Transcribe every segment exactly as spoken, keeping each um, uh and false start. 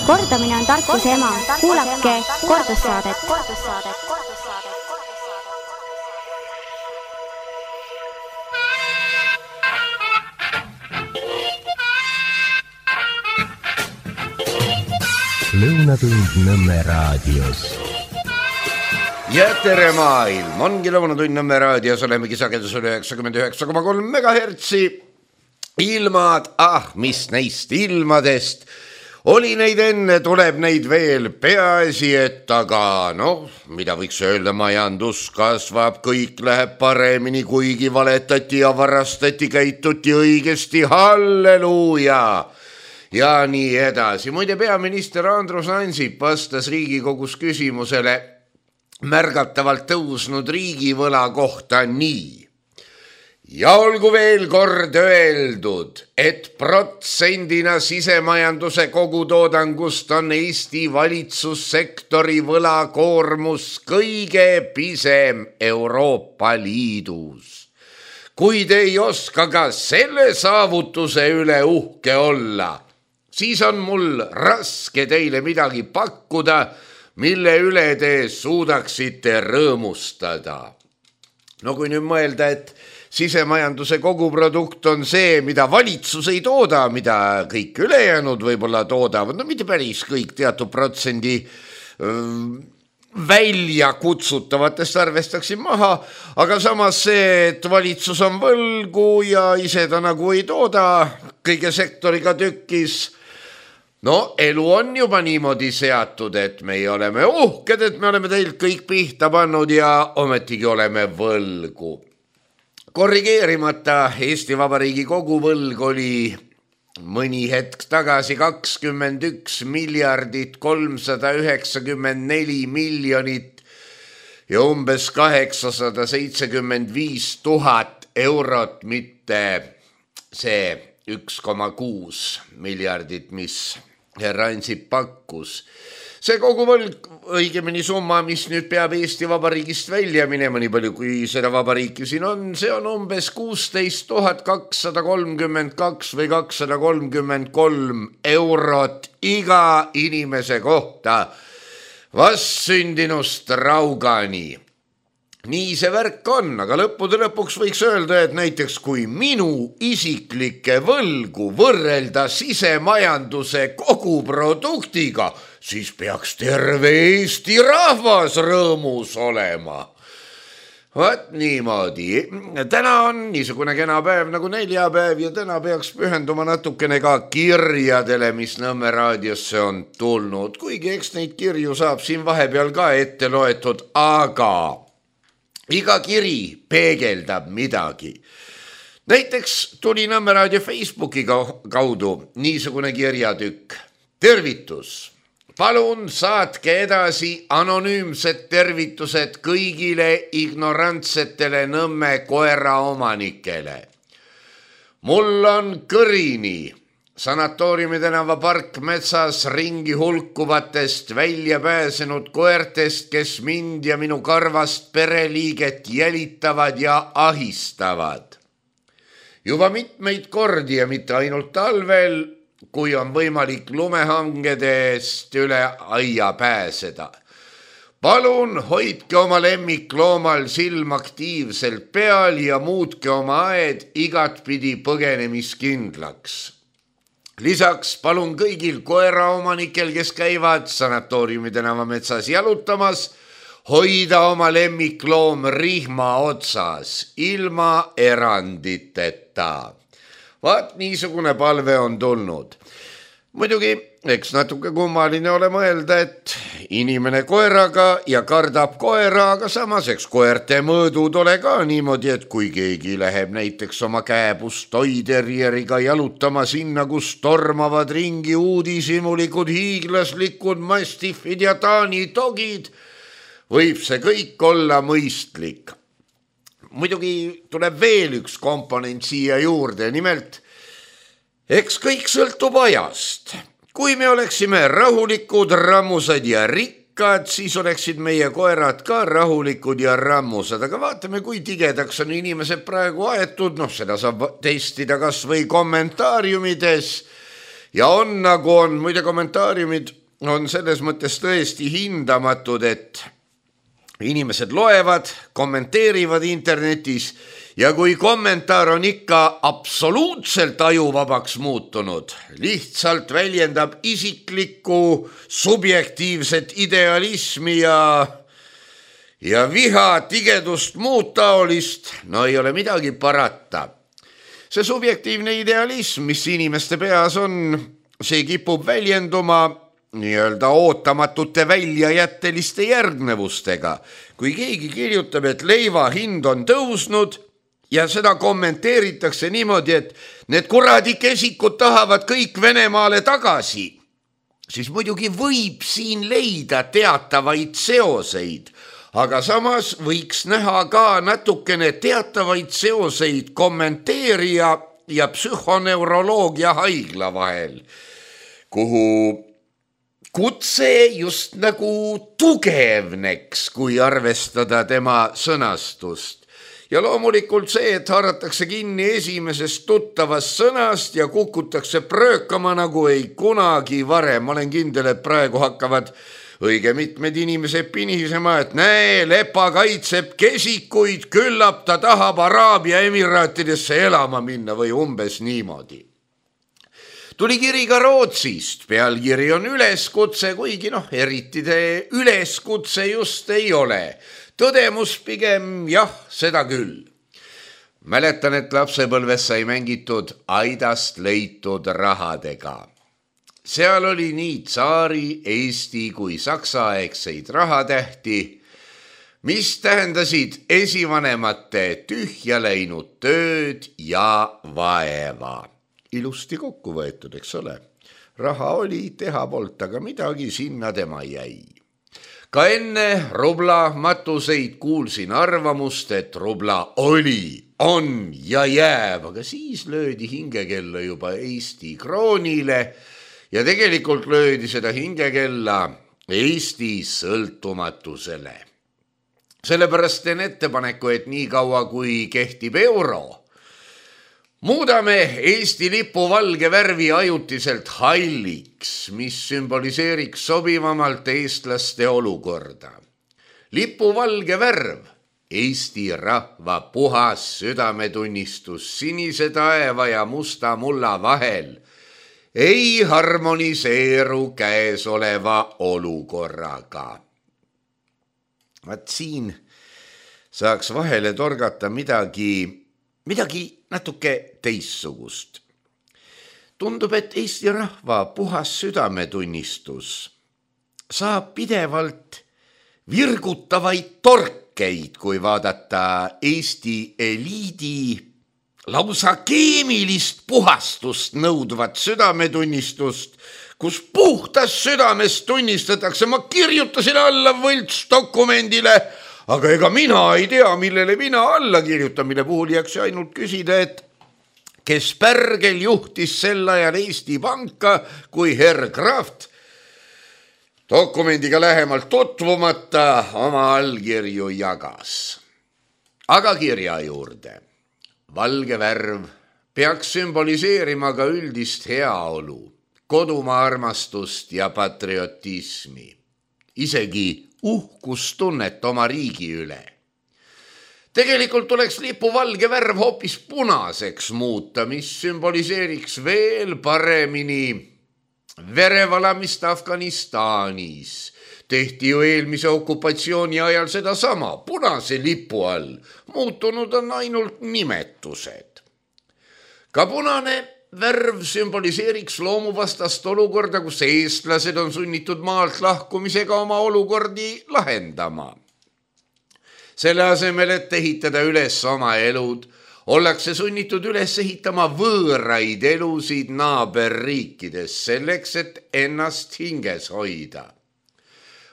Kordamine on tarkuse ema. Kuulake kordussaadet. Lõunatund Nõmme raadios. Ja tere maailm, ongi Lõunatund Nõmme raadios, olemegi sagedusel üheksakümmend üheksa koma kolm megahertsi. Ilmad, ah, mis neist ilmadest. Oli neid enne, tuleb neid veel, peaasi, et aga, noh, mida võiks öelda, majandus kasvab, kõik läheb paremini, kuigi valetati ja varastati, käituti õigesti, halleluuja. Ja nii edasi. Muide, peaminister Andrus Ansip vastas Riigikogus küsimusele märgatavalt tõusnud riigivõla kohta nii. Ja olgu veel kord öeldud, et protsendina sisemajanduse kogutoodangust on Eesti valitsussektori võlakoormus kõige pisem Euroopa Liidus. Kui te ei oska ka selle saavutuse üle uhke olla, siis on mul raske teile midagi pakkuda, mille üle te suudaksite rõõmustada. No kui nüüd mõelda, et sisemajanduse koguprodukt on see, mida valitsus ei tooda, mida kõik ülejäänud võib-olla toodavad, no mitte päris kõik, teatud protsendi välja kutsutavatest arvestaksin maha, aga samas see, et valitsus on võlgu ja ise ta nagu ei tooda kõige sektoriga tükkis. No elu on juba niimoodi seatud, et me oleme uhked, et me oleme teilt kõik pihta pannud ja ometigi oleme võlgu. Korrigeerimata Eesti Vabariigi koguvõlg oli mõni hetk tagasi kakskümmend üks miljardit kolmsada üheksakümmend neli miljonit ja umbes kaheksasada seitsekümmend viis tuhat eurot, mitte see üks koma kuus miljardit, mis herra Ansip pakkus. See koguvõlg, õigemini summa, mis nüüd peab Eesti Vabariigist välja minema, nii palju kui seda vabariiki siin on, see on umbes kuusteist tuhat kakssada kolmkümmend kaks või kakssada kolmkümmend kolm eurot iga inimese kohta vastsündinust raugani. Nii see värk on, aga lõppude lõpuks võiks öelda, et näiteks kui minu isiklikke võlgu võrrelda sisemajanduse koguproduktiga, siis peaks terve Eesti rahvas rõõmus olema. Vaat niimoodi. Täna on niisugune kena päev nagu neljapäev ja täna peaks pühenduma natukene ka kirjadele, mis Nõmme raadiosse on tulnud. Kuigi eks neid kirju saab siin vahepeal ka ette loetud, aga iga kiri peegeldab midagi. Näiteks tuli Nõmme raadio Facebooki kaudu niisugune kirjatükk. Tervitus! Palun saatke edasi anonüümsed tervitused kõigile ignorantsetele Nõmme koeraomanikele. Mul on kõrini sanatooriumi tänava parkmetsas ringi hulkuvatest välja pääsenud koertest, kes mind ja minu karvast pereliiget jälitavad ja ahistavad. Juba mitmeid kordi ja mitte ainult talvel, kui on võimalik lumehangedest üle aia pääseda. Palun hoidke oma lemmikloomal silm aktiivselt peal ja muutke oma aed igatpidi põgenemiskindlaks. Lisaks palun kõigil koeraomanikel, kes käivad sanatooriumi tänava metsas jalutamas, hoida oma lemmikloom rihma otsas, ilma eranditeta. Vaat niisugune palve on tulnud. Muidugi, eks natuke kummaline ole mõelda, et inimene koeraga ja kardab koera, aga samas eks koerte mõõdud ole ka niimoodi, et kui keegi läheb näiteks oma kääbust toiterjeriga jalutama sinna, kus tormavad ringi uudishimulikud hiiglaslikud mastiffid ja taani dogid, võib see kõik olla mõistlik. Muidugi tuleb veel üks komponent siia juurde, nimelt eks kõik sõltub ajast. Kui me oleksime rahulikud, rammusad ja rikkad, siis oleksid meie koerad ka rahulikud ja rammusad. Aga vaatame, kui tigedaks on inimesed praegu aetud, noh seda saab testida kas või kommentaariumides. ja on nagu on, muide kommentaariumid on selles mõttes tõesti hindamatud, et inimesed loevad, kommenteerivad internetis ja kui kommentaar on ikka absoluutselt ajuvabaks muutunud, lihtsalt väljendab isiklikku subjektiivset idealismi ja, ja viha, tigedust, muud taolist, no ei ole midagi parata. See subjektiivne idealism, mis inimeste peas on, see kipub väljenduma nii-öelda ootamatute väljajätteliste järgnevustega. Kui keegi kirjutab, et leiva hind on tõusnud ja seda kommenteeritakse niimoodi, et need kuradi kesikud tahavad kõik Venemaale tagasi, siis muidugi võib siin leida teatavaid seoseid, aga samas võiks näha ka natukene teatavaid seoseid kommenteerija ja psühhoneuroloogia haigla vahel, kuhu kutse just nagu tugevneks, kui arvestada tema sõnastust. Ja loomulikult see, et haaratakse kinni esimesest tuttavast sõnast ja kukutakse pröökama nagu ei kunagi varem. Ma olen kindel, et praegu hakkavad õige mitmed inimesed pinisema, et näe, Lepa kaitseb kesikuid, küllap ta tahab Araabia Emiraatidesse elama minna või umbes niimoodi. Tuli kiri ka Rootsist, pealkiri on üleskutse, kuigi noh, eriti te üleskutse just ei ole. Tõdemus pigem jah, seda küll. Mäletan, et lapsepõlves sai mängitud aidast leitud rahadega. Seal oli nii tsaari, Eesti kui saksaaegseid rahatähti, mis tähendasid esivanemate tühja läinud tööd ja vaeva. Ilusti kokku võetud, eks ole. Raha oli, teha polt, aga midagi sinna tema jäi. Ka enne rubla matuseid kuulsin arvamust, et rubla oli, on ja jääb, aga siis löödi hingekella juba Eesti kroonile ja tegelikult löödi seda hingekella Eesti sõltumatusele. Sellepärast teen ettepaneku, et nii kaua kui kehtib euro, muudame Eesti lipu valge värvi ajutiselt halliks, mis sümboliseeriks sobivamalt eestlaste olukorda. Lipu valge värv, Eesti rahva puhas südametunnistus sinise taeva ja musta mulla vahel, ei harmoniseeru käesoleva olukorraga. Vaat siin saaks vahele torgata midagi, midagi natuke teissugust. Tundub, et Eesti rahva puhas südametunnistus saab pidevalt virgutavaid torkeid, kui vaadata Eesti eliidi lausa keemilist puhastust nõudvat südametunnistust, kus puhtas südamest tunnistatakse, ma kirjutasin alla võlts dokumendile, aga ega mina ei tea, millele mina alla kirjutan, mille puhul jääks ainult küsida, et kes pärgel juhtis sel ajal Eesti Panka, kui Herr Kraft dokumendiga lähemalt tutvumata oma allkirju jagas. Aga kirja juurde. Valge värv peaks sümboliseerima ka üldist heaolu, kodumaa armastust ja patriotismi, isegi uhkustunnet oma riigi üle. Tegelikult tuleks lipu valge värv hoopis punaseks muuta, mis sümboliseeriks veel paremini verevalamist Afganistanis. Tehti ju eelmise okupatsiooni ajal seda sama, punase lipu all. Muutunud on ainult nimetused. Ka punane värv sümboliseeriks loomuvastast olukorda, kus eestlased on sunnitud maalt lahkumisega oma olukordi lahendama. Selle asemel, et ehitada üles oma elud, ollakse sunnitud üles ehitama võõraid elusid naaberriikides selleks, et ennast hinges hoida.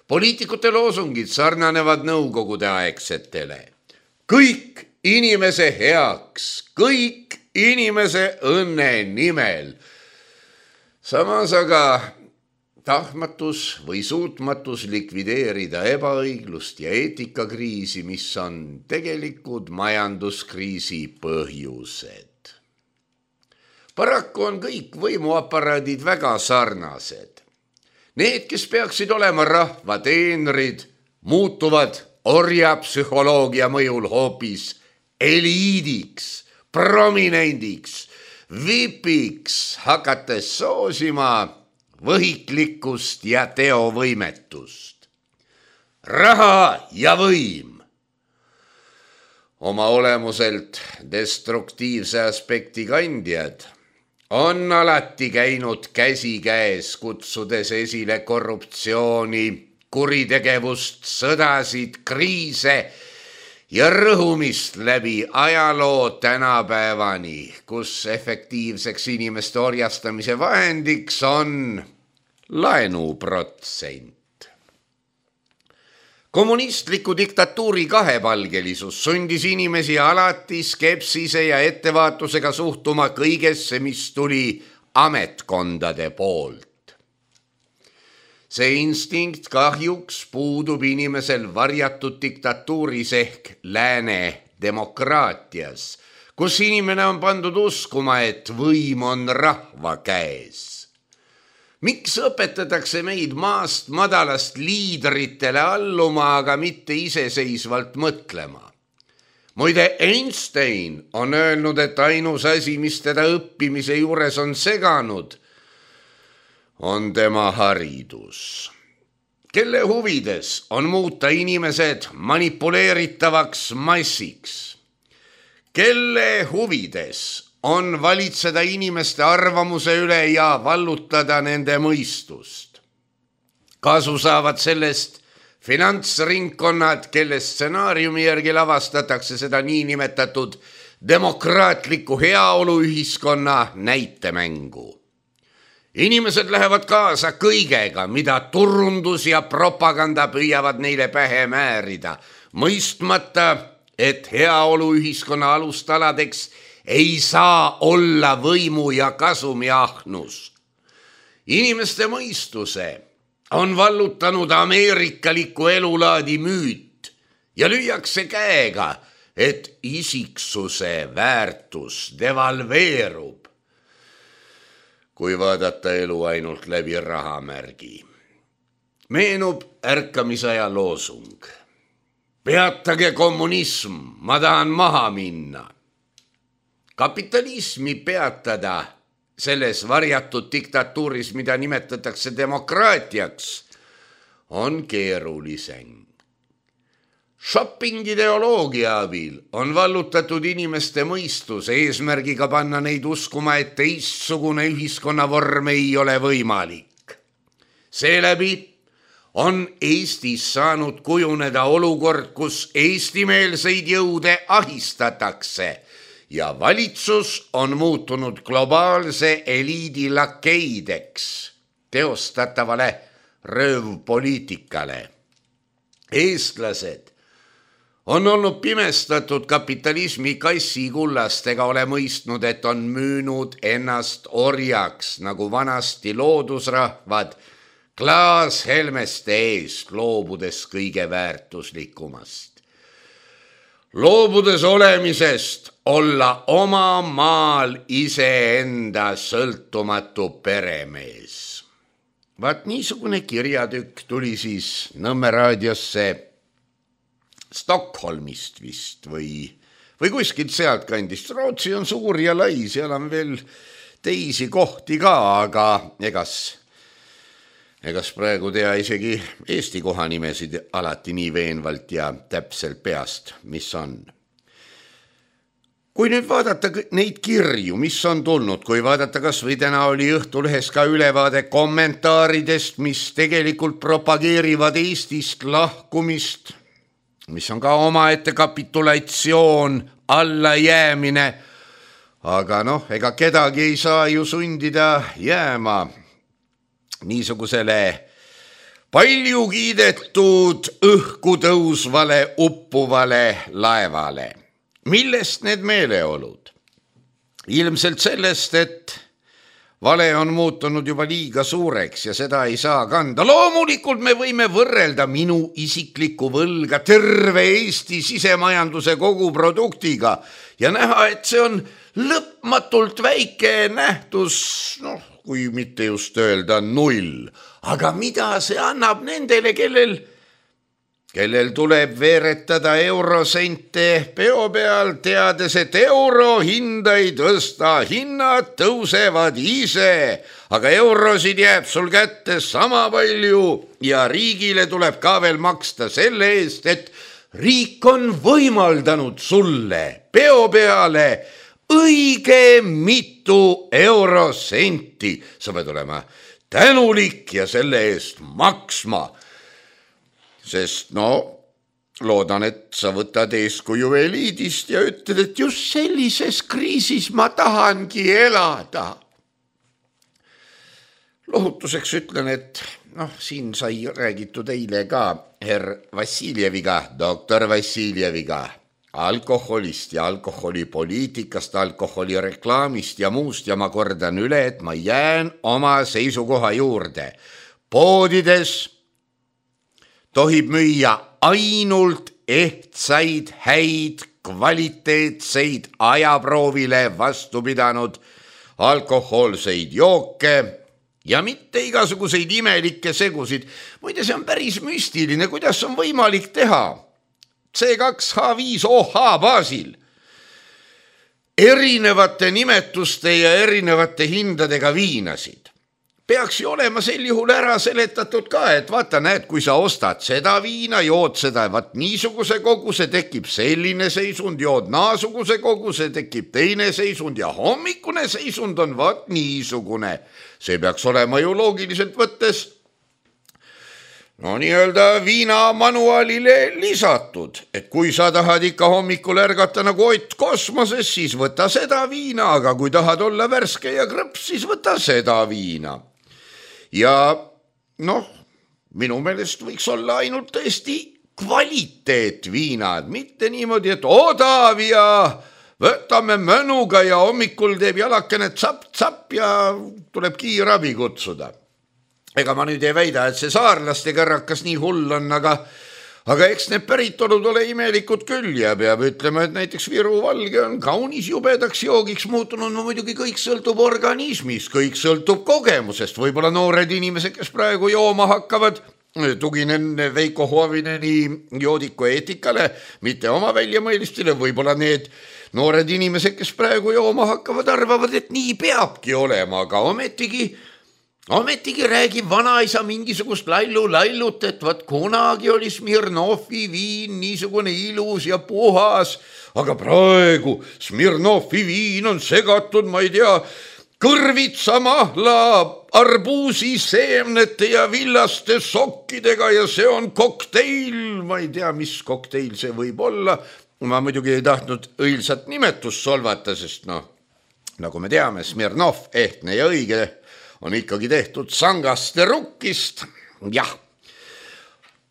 Poliitikute loosungid sarnanevad nõukogude aegsetele. Kõik inimese heaks, kõik inimese õnne nimel. Samas aga tahtmatus või suutmatus likvideerida ebaõiglust ja eetikakriisi, mis on tegelikud majanduskriisi põhjused. Paraku on kõik võimuaparaadid väga sarnased. Need, kes peaksid olema rahva teenrid, muutuvad orjapsühholoogia mõjul hoopis eliidiks, prominendiks, vipiks, hakates soosima võhiklikkust ja teovõimetust. Raha ja võim. Oma olemuselt destruktiivse aspekti kandjad on alati käinud käsi käes, kutsudes esile korruptsiooni, kuritegevust, sõdasid, kriise ja rõhumist läbi ajaloo tänapäevani, kus efektiivseks inimeste orjastamise vahendiks on laenuprotsent. Kommunistliku diktatuuri kahepalgelisus sundis inimesi alati skepsise ja ettevaatusega suhtuma kõigesse, mis tuli ametkondade poolt. See instinkt kahjuks puudub inimesel varjatud diktatuuris ehk lääne demokraatias, kus inimene on pandud uskuma, et võim on rahva käes. Miks õpetatakse meid maast madalast liidritele alluma, aga mitte iseseisvalt mõtlema? Muide, Einstein on öelnud, et ainus asi, mis teda õppimise juures on seganud, on tema haridus. Kelle huvides on muuta inimesed manipuleeritavaks massiks? Kelle huvides on valitseda inimeste arvamuse üle ja vallutada nende mõistust? Kasu saavad sellest finantsringkonnad, kelle stsenaariumi järgi lavastatakse seda niinimetatud demokraatliku heaoluühiskonna näitemängu. Inimesed lähevad kaasa kõigega, mida turundus ja propaganda püüavad neile pähe määrida, mõistmata, et heaoluühiskonna alustaladeks ei saa olla võimu ja kasumi ahnus. Inimeste mõistuse on vallutanud ameerikaliku elulaadi müüt ja lüüakse käega, et isiksuse väärtus devalveerub, kui vaadata elu ainult läbi rahamärgi. Meenub ärkamisaja loosung. Peatage kommunism, ma tahan maha minna. Kapitalismi peatada selles varjatud diktatuuris, mida nimetatakse demokraatiaks, on keerulisem. Shopping-ideoloogia abil on vallutatud inimeste mõistus eesmärgiga panna neid uskuma, et teistsugune ühiskonnavorm ei ole võimalik. Seeläbi on Eestis saanud kujuneda olukord, kus eestimeelseid jõude ahistatakse ja valitsus on muutunud globaalse eliidi lakeideks teostatavale röövpoliitikale. Eestlased on olnud pimestatud kapitalismi kassikullast ega ole mõistnud, et on müünud ennast orjaks, nagu vanasti loodusrahvad klaashelmeste eest, loobudes kõige väärtuslikumast. Loobudes olemisest olla oma maal iseenda sõltumatu peremees. Vaat niisugune kirjatükk tuli siis Nõmme raadiosse Stockholmist vist või, või kuskilt sealt kandist. Rootsi on suur ja lai, seal on veel teisi kohti ka, aga egas, egas praegu tea isegi Eesti kohanimesid alati nii veenvalt ja täpselt peast, mis on. Kui nüüd vaadata neid kirju, mis on tulnud, kui vaadata kas või täna oli Õhtulehes ka ülevaade kommentaaridest, mis tegelikult propageerivad Eestist lahkumist, mis on ka omaette kapitulatsioon, allajäämine, aga noh, ega kedagi ei saa ju sundida jääma niisugusele palju kiidetud õhku tõusvale uppuvale laevale. Millest need meeleolud? Ilmselt sellest, et vale on muutunud juba liiga suureks ja seda ei saa kanda. Loomulikult me võime võrrelda minu isiklikku võlga terve Eesti sisemajanduse koguproduktiga ja näha, et see on lõpmatult väike nähtus, noh, kui mitte just öelda null. Aga mida see annab nendele, kellel, kellel tuleb veeretada eurosente peo peal, teades, et euro hinda ei tõsta, hinnad tõusevad ise, aga eurosid jääb sul kätte sama palju ja riigile tuleb ka veel maksta selle eest, et riik on võimaldanud sulle peo peale õige mitu eurosenti. Sa pead olema tänulik ja selle eest maksma. Sest no, loodan, et sa võtad eeskuju eliidist ja ütled, et just sellises kriisis ma tahangi elada. Lohutuseks ütlen, et noh, siin sai räägitud eile ka herr Vassiljeviga, doktor Vassiljeviga, alkoholist ja alkoholipoliitikast, alkoholireklaamist ja muust ja ma kordan üle, et ma jään oma seisukoha juurde. Poodides tohib müüa ainult ehtsaid, häid, kvaliteetseid, ajaproovile vastu pidanud alkohoolseid jooke ja mitte igasuguseid imelikke segusid. Muide, see on päris müstiline, kuidas on võimalik teha C kaks H viis O H baasil erinevate nimetuste ja erinevate hindadega viinasid. Peaks ju olema sel juhul ära seletatud ka, et vaata, näed, kui sa ostad seda viina, jood seda, vaat niisuguse koguse tekib selline seisund, jood naasuguse koguse tekib teine seisund ja hommikune seisund on vaat niisugune. See peaks olema ju loogiliselt võttes no nii-öelda viinamanuaalile lisatud, et kui sa tahad ikka hommikul ärgata nagu Ott kosmoses, siis võta seda viina, aga kui tahad olla värske ja krõps, siis võta seda viina. Ja noh, minu meelest võiks olla ainult tõesti kvaliteetviinad, mitte niimoodi, et odav ja võtame mõnuga ja hommikul teeb jalakene tsapp-tsapp ja tuleb kiirabi kutsuda. Ega ma nüüd ei väida, et see saarlaste kõrrakas nii hull on, aga, aga eks need päritolud ole imelikud küll ja peab ütlema, et näiteks Viru valge on kaunis jubedaks joogiks muutunud. No muidugi kõik sõltub organismist, kõik sõltub kogemusest. Võib-olla noored inimesed, kes praegu jooma hakkavad, tuginen Veiko Huovineni joodiku eetikale, mitte oma väljamõelistele, võib-olla need noored inimesed, kes praegu jooma hakkavad, arvavad, et nii peabki olema, aga ometigi Ometigi räägib vanaisa mingisugust lallu lailut, et vaat kunagi oli Smirnovi viin niisugune ilus ja puhas, aga praegu Smirnovi viin on segatud, ma ei tea, kõrvitsa, mahla, arbuusi, seemnete ja villaste sokkidega ja see on kokteil, ma ei tea, mis kokteil see võib olla. Ma muidugi ei tahtnud õilsat nimetust solvata, sest noh, nagu me teame, Smirnov, ehtne ja õige on ikkagi tehtud sangaste rukkist. Jah,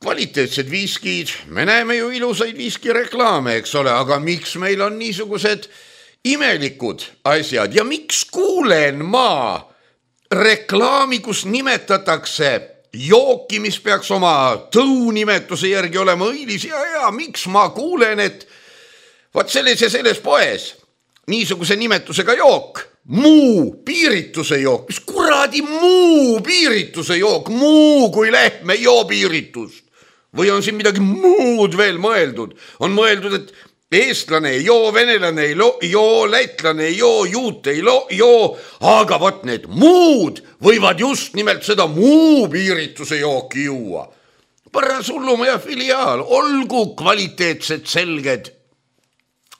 kvaliteetsed viiskid, me näeme ju ilusaid viiskireklaame, eks ole, aga miks meil on niisugused imelikud asjad ja miks kuulen ma reklaami, kus nimetatakse jooki, mis peaks oma tõunimetuse järgi olema õilis ja, ja miks ma kuulen, et vaat selles ja selles poes niisuguse nimetusega jook, muu piirituse jook, mis kuradi muu piirituse jook, muu kui lehm ei joo piiritust. Või on siin midagi muud veel mõeldud? On mõeldud, et eestlane ei joo, venelane ei joo, lätlane ei joo, juut ei joo, aga vot need muud võivad just nimelt seda muu piirituse jooki juua. Paras hullumaja filiaal, olgu kvaliteetsed selged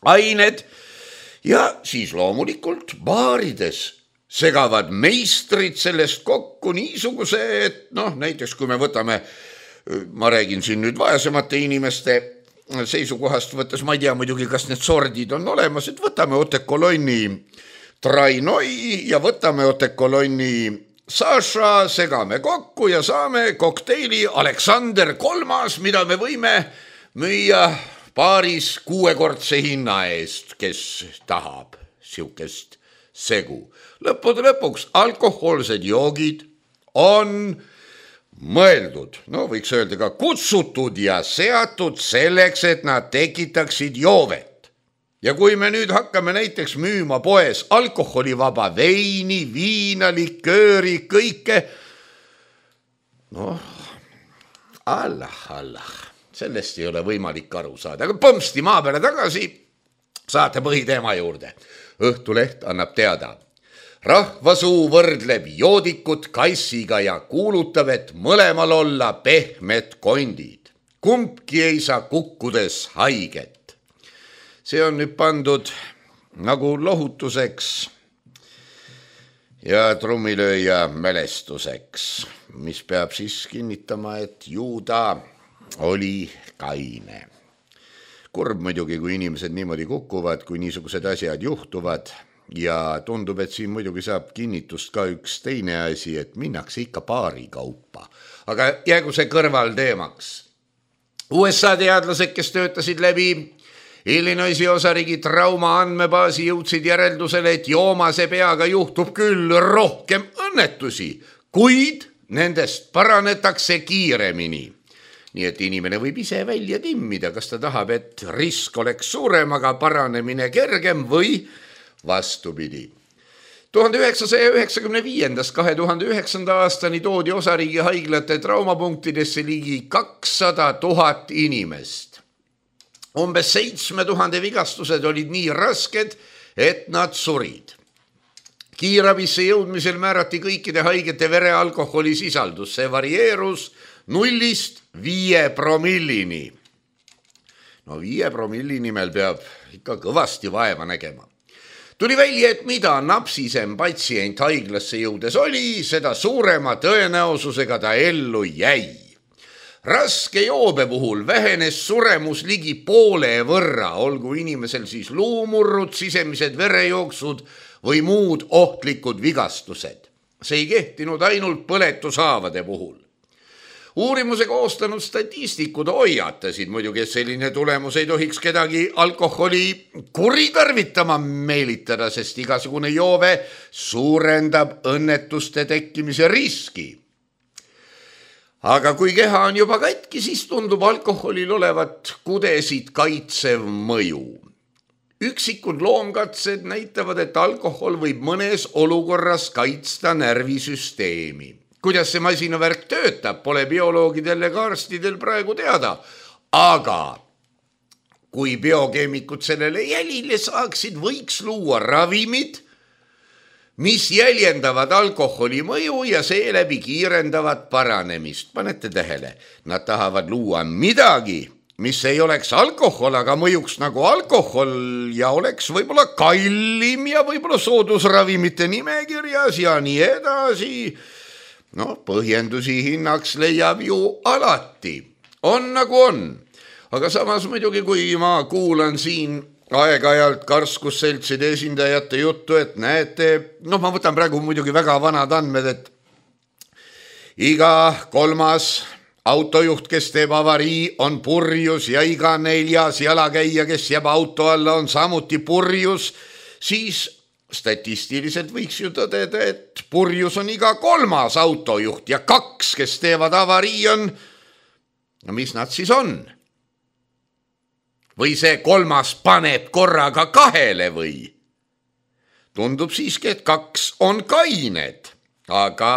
ained. Ja siis loomulikult baarides segavad meistrid sellest kokku niisuguse, et noh, näiteks kui me võtame, ma räägin siin nüüd vaesemate inimeste seisukohast võttes, ma ei tea muidugi, kas need sordid on olemas, et võtame Otekolonni Trainoi ja võtame Otekolonni Saša, segame kokku ja saame kokteili Aleksander kolmas, mida me võime müüa paaris kuuekordse hinna eest, kes tahab siukest segu. Lõppude lõpuks alkohoolsed joogid on mõeldud, no võiks öelda ka kutsutud ja seatud selleks, et nad tekitaksid joovet. ja kui me nüüd hakkame näiteks müüma poes alkoholivaba veini, viina, likööri, kõike, noh, Allah, Allah, sellest ei ole võimalik aru saada, aga põmsti maa peale tagasi saate põhiteema juurde. Õhtuleht annab teada. Rahvasuu võrdleb joodikut kassiga ja kuulutab, et mõlemal olla pehmed kondid. Kumbki ei saa kukkudes haiget. See on nüüd pandud nagu lohutuseks ja trummilööja mälestuseks, mis peab siis kinnitama, et Juuda oli kaine. Kurb muidugi, kui inimesed niimoodi kukuvad, kui niisugused asjad juhtuvad ja tundub, et siin muidugi saab kinnitust ka üks teine asi, et minnakse ikka paari kaupa. Aga jäägu see kõrval teemaks. U S A teadlased, kes töötasid läbi Illinoisi osariigi trauma andmebaasi, jõudsid järeldusele, et joomase peaga juhtub küll rohkem õnnetusi, kuid nendest paranetakse kiiremini. Nii et inimene võib ise välja timmida, kas ta tahab, et risk oleks suurem, aga paranemine kergem või vastupidi. tuhande üheksasaja üheksakümne viiendast kahe tuhande üheksanda aastani toodi osariigi haiglate traumapunktidesse ligi kakssada tuhat inimest. Umbes seitsme tuhande vigastused olid nii rasked, et nad surid. Kiirabisse jõudmisel määrati kõikide haigete verealkoholi sisaldus. See varieerus nullist viie promillini. No viie promilli nimel peab ikka kõvasti vaeva nägema. Tuli välja, et mida napsisem patsient haiglasse jõudes oli, seda suurema tõenäosusega ta ellu jäi. Raske joobe puhul vähenes suremus ligi poole võrra, olgu inimesel siis luumurrud, sisemised verejooksud või muud ohtlikud vigastused. See ei kehtinud ainult põletushaavade puhul. Uurimuse koostanud statistikud hoiatasid muidugi, et selline tulemus ei tohiks kedagi alkoholi kuritarvitama meelitada, sest igasugune joove suurendab õnnetuste tekkimise riski. Aga kui keha on juba katki, siis tundub alkoholil olevat kudesid kaitsev mõju. Üksikud loomkatsed näitavad, et alkohol võib mõnes olukorras kaitsta närvisüsteemi. Kuidas see masinavärk töötab, pole bioloogidel ega arstidel praegu teada. Aga kui biokeemikud sellele jälile saaksid, võiks luua ravimid, mis jäljendavad alkoholi mõju ja seeläbi kiirendavad paranemist. Panete tähele, nad tahavad luua midagi, mis ei oleks alkohol, aga mõjuks nagu alkohol ja oleks võib-olla kallim ja võib-olla soodusravimite nimekirjas ja nii edasi. No, põhjendusi hinnaks leiab ju alati. On nagu on. Aga samas muidugi, kui ma kuulan siin aeg-ajalt karskusseltside esindajate juttu, et näete, noh, ma võtan praegu muidugi väga vanad andmed, et iga kolmas autojuht, kes teeb avarii, on purjus ja iga neljas jalakäija, kes jääb auto alla, on samuti purjus, siis statistiliselt võiks ju tõdeda, et purjus on iga kolmas autojuht ja kaks, kes teevad avarii, on, no mis nad siis on? Või see kolmas paneb korraga kahele või? Tundub siiski, et kaks on kained, aga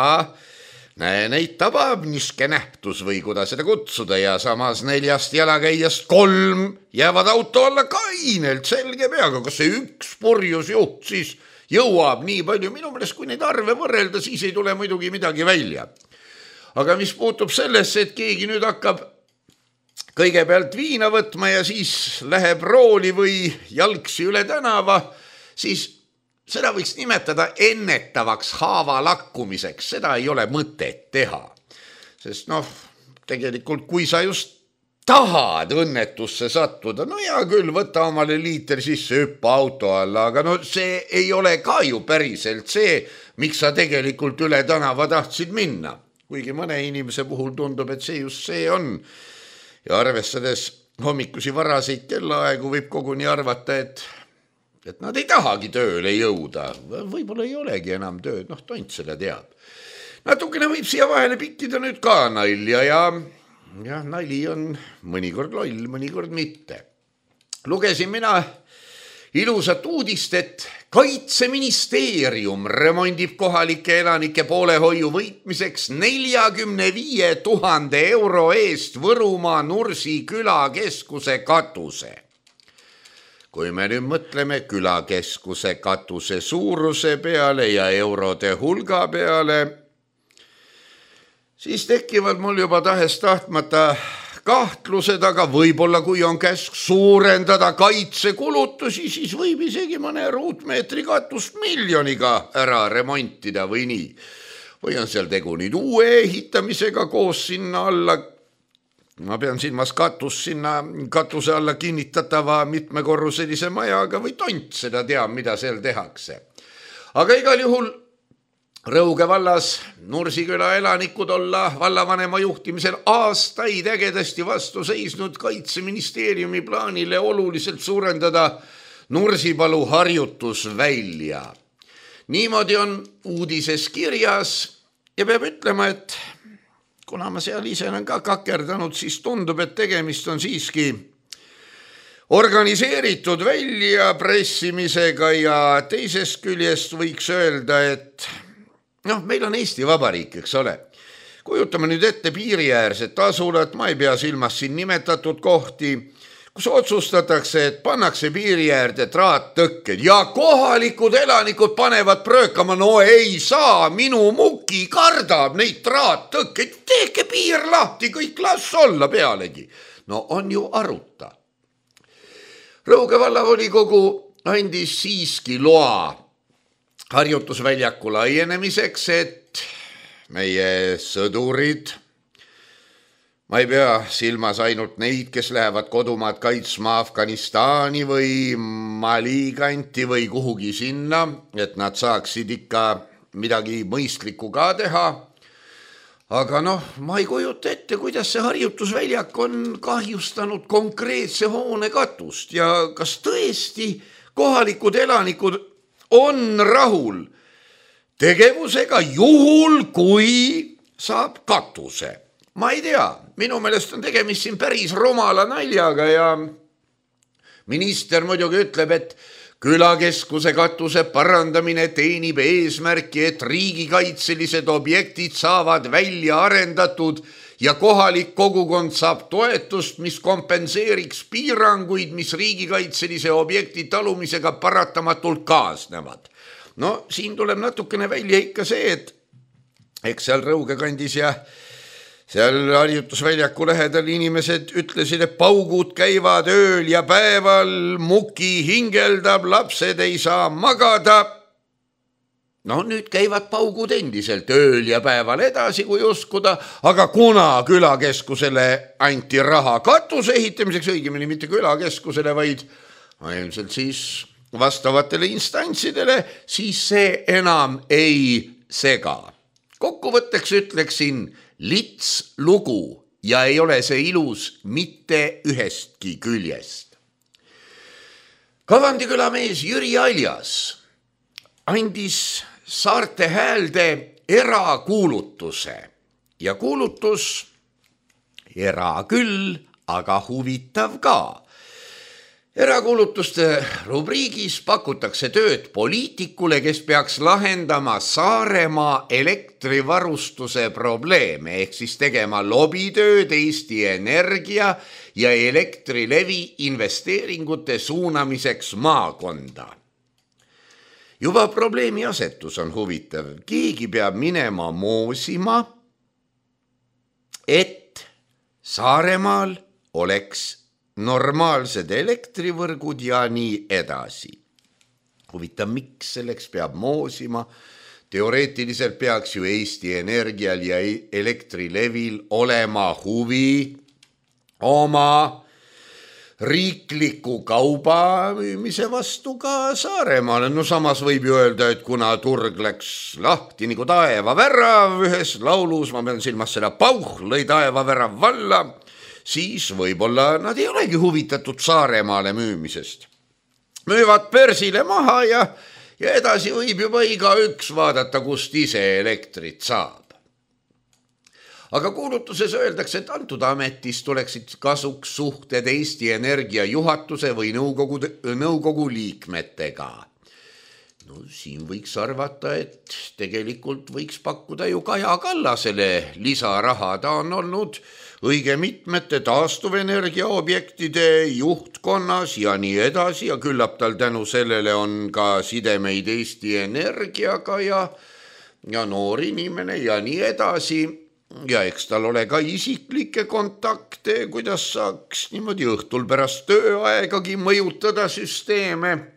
näe, neid tabab niske nähtus või kuidas seda kutsuda ja samas neljast jalakäijast kolm jäävad auto alla kainelt selge peaga. Kas see üks purjus juht siis jõuab nii palju? Minu meelest, kui neid arve võrrelda, siis ei tule muidugi midagi välja. Aga mis puutub sellesse, et keegi nüüd hakkab kõigepealt viina võtma ja siis läheb rooli või jalgsi üle tänava, siis seda võiks nimetada ennetavaks haava lakkumiseks. Seda ei ole mõtet teha. Sest noh, tegelikult kui sa just tahad õnnetusse sattuda, no hea küll, võta omale liiter sisse, hüppa auto alla, aga no see ei ole ka ju päriselt see, miks sa tegelikult üle tänava tahtsid minna. Kuigi mõne inimese puhul tundub, et see just see on. Ja arvestades hommikusi varaseid kellaaegu võib koguni arvata, et et nad ei tahagi tööle jõuda. Võib-olla ei olegi enam tööd, noh, tont selle teab. Natukene võib siia vahele pikkida nüüd ka nalja ja, ja nali on mõnikord loll, mõnikord mitte. Lugesin mina ilusat uudist, et Kaitseministeerium remondib kohalike elanike poolehoiu võitmiseks neljakümne viie tuhande euro eest Võrumaa Nursi külakeskuse katuse. Kui me nüüd mõtleme külakeskuse katuse suuruse peale ja eurode hulga peale, siis tekivad mul juba tahes tahtmata kahtlused, aga võib-olla kui on käsk suurendada kaitsekulutusi, siis võib isegi mõne ruutmeetri katust miljoniga ära remontida või nii. Või on seal tegu nüüd uue ehitamisega koos sinna alla, ma pean silmas katus sinna katuse alla kinnitatava mitmekorruselise majaga või tont, seda teab, mida seal tehakse. Aga igal juhul Rõuge vallas Nursiküla elanikud olla vallavanema juhtimisel aastaid ägedasti vastu seisnud Kaitseministeeriumi plaanile oluliselt suurendada Nursipalu harjutusvälja. Niimoodi on uudises kirjas ja peab ütlema, et kuna ma seal ise olen ka kakerdanud, siis tundub, et tegemist on siiski organiseeritud väljapressimisega ja teisest küljest võiks öelda, et noh, meil on Eesti Vabariik, eks ole. Kujutame nüüd ette piiriäärset asulat, ma ei pea silmas siin nimetatud kohti, kus otsustatakse, et pannakse piiriäärde traattõkked ja kohalikud elanikud panevad pröökama, no ei saa, minu muki kardab neid traattõkkeid, teeke piir lahti, kõik las olla pealegi. No on ju aruta. Rõuge vallavolikogu andis siiski loa harjutusväljaku laienemiseks, et meie sõdurid, ma ei pea silmas ainult neid, kes lähevad kodumaad kaitsma Afganistani või Mali kanti või kuhugi sinna, et nad saaksid ikka midagi mõistlikku ka teha. Aga noh, ma ei kujuta ette, kuidas see harjutusväljak on kahjustanud konkreetse hoone katust ja kas tõesti kohalikud elanikud on rahul tegevusega juhul, kui saab katuse. Ma ei tea, minu meelest on tegemist siin päris rumala naljaga ja minister muidugi ütleb, et külakeskuse katuse parandamine teenib eesmärki, et riigikaitselised objektid saavad välja arendatud ja kohalik kogukond saab toetust, mis kompenseeriks piiranguid, mis riigikaitselise objekti talumisega paratamatult kaasnevad. No siin tuleb natukene välja ikka see, et eks seal Rõuge kandis ja seal harjutusväljaku lähedal inimesed ütlesid, et paugud käivad ööl ja päeval, muki hingeldab, lapsed ei saa magada. No nüüd käivad paugud endiselt ööl ja päeval edasi, kui uskuda, aga kuna külakeskusele anti raha katuse ehitamiseks, õigemini mitte külakeskusele, vaid ilmselt siis vastavatele instantsidele, siis see enam ei sega. Kokkuvõtteks ütleksin lits lugu ja ei ole see ilus mitte ühestki küljest. Kavandiküla mees Jüri Aljas andis Saarte Häälde erakuulutuse ja kuulutus era küll, aga huvitav ka. Erakuulutuste rubriigis pakutakse tööd poliitikule, kes peaks lahendama Saaremaa elektrivarustuse probleeme, ehk siis tegema lobitööd Eesti Energia ja Elektrilevi investeeringute suunamiseks maakonda. Juba probleemi asetus on huvitav. Keegi peab minema moosima, et Saaremaal oleks normaalsed elektrivõrgud ja nii edasi. Huvitav, miks selleks peab moosima? Teoreetiliselt peaks ju Eesti Energial ja Elektrilevil olema huvi oma riikliku kauba müümise vastu ka Saaremaale. No samas võib ju öelda, et kuna turg läks lahti nagu taevavärav ühes laulus, ma pean silmas seda pauh, lõi taevavärav valla, siis võib-olla nad ei olegi huvitatud Saaremaale müümisest. Müüvad börsile maha ja, ja edasi võib juba iga üks vaadata, kust ise elektrit saab. aga kuulutuses öeldakse, et antud ametis tuleksid kasuks suhted Eesti Energia juhatuse või nõukogu, nõukogu liikmetega. No siin võiks arvata, et tegelikult võiks pakkuda ju Kaja Kallasele lisaraha. Ta on olnud õige mitmete taastuvenergia objektide juhtkonnas ja nii edasi ja küllap tal tänu sellele on ka sidemeid Eesti Energiaga ja, ja noor inimene ja nii edasi. Ja eks tal ole ka isiklikke kontakte, kuidas saaks niimoodi õhtul pärast tööaegagi mõjutada süsteeme.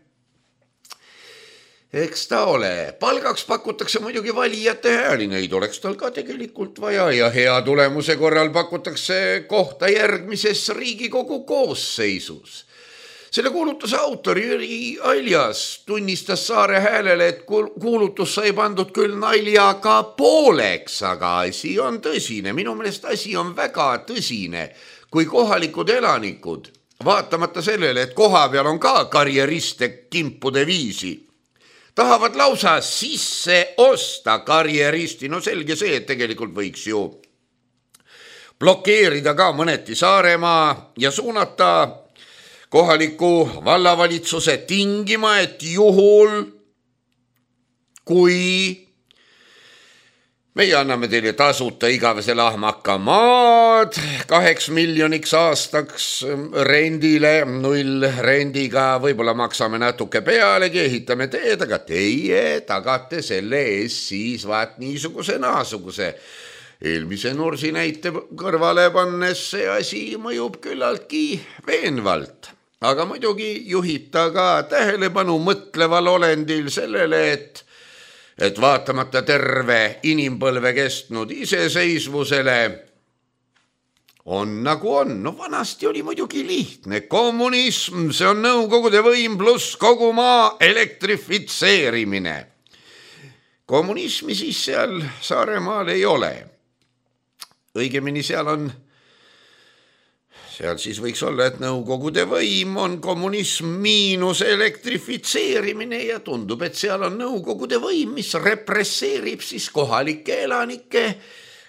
Eks ta ole. Palgaks pakutakse muidugi valijate hääli, neid oleks tal ka tegelikult vaja ja hea tulemuse korral pakutakse kohta järgmises Riigikogu koosseisus. Selle kuulutuse autor Jüri Aljas tunnistas Saare Häälele, et kuulutus sai pandud küll naljaga pooleks, aga asi on tõsine. Minu meelest asi on väga tõsine, kui kohalikud elanikud, vaatamata sellele, et koha peal on ka karjeriste kimpude viisi, tahavad lausa sisse osta karjeristi. No selge see, et tegelikult võiks ju blokeerida ka mõneti Saaremaa ja suunata kohaliku vallavalitsuse tingima, et juhul, kui meie anname teile tasuta igavese lahmaka maad kaheks miljoniks aastaks rendile, null rendiga, võib-olla maksame natuke pealegi, ehitame teed, aga teie tagate selle ees siis vaat niisuguse naasuguse. Eelmise Nursi näite kõrvale pannes see asi mõjub küllaltki veenvalt. Aga muidugi juhib ta ka tähelepanu mõtleval olendil sellele, et et vaatamata terve inimpõlve kestnud iseseisvusele on nagu on. No vanasti oli muidugi lihtne. Kommunism, see on nõukogude võim pluss kogu maa elektrifitseerimine. Kommunismi siis seal Saaremaal ei ole. Õigemini seal on Seal siis võiks olla, et nõukogude võim on kommunism miinus elektrifitseerimine ja tundub, et seal on nõukogude võim, mis represseerib siis kohalikke elanikke,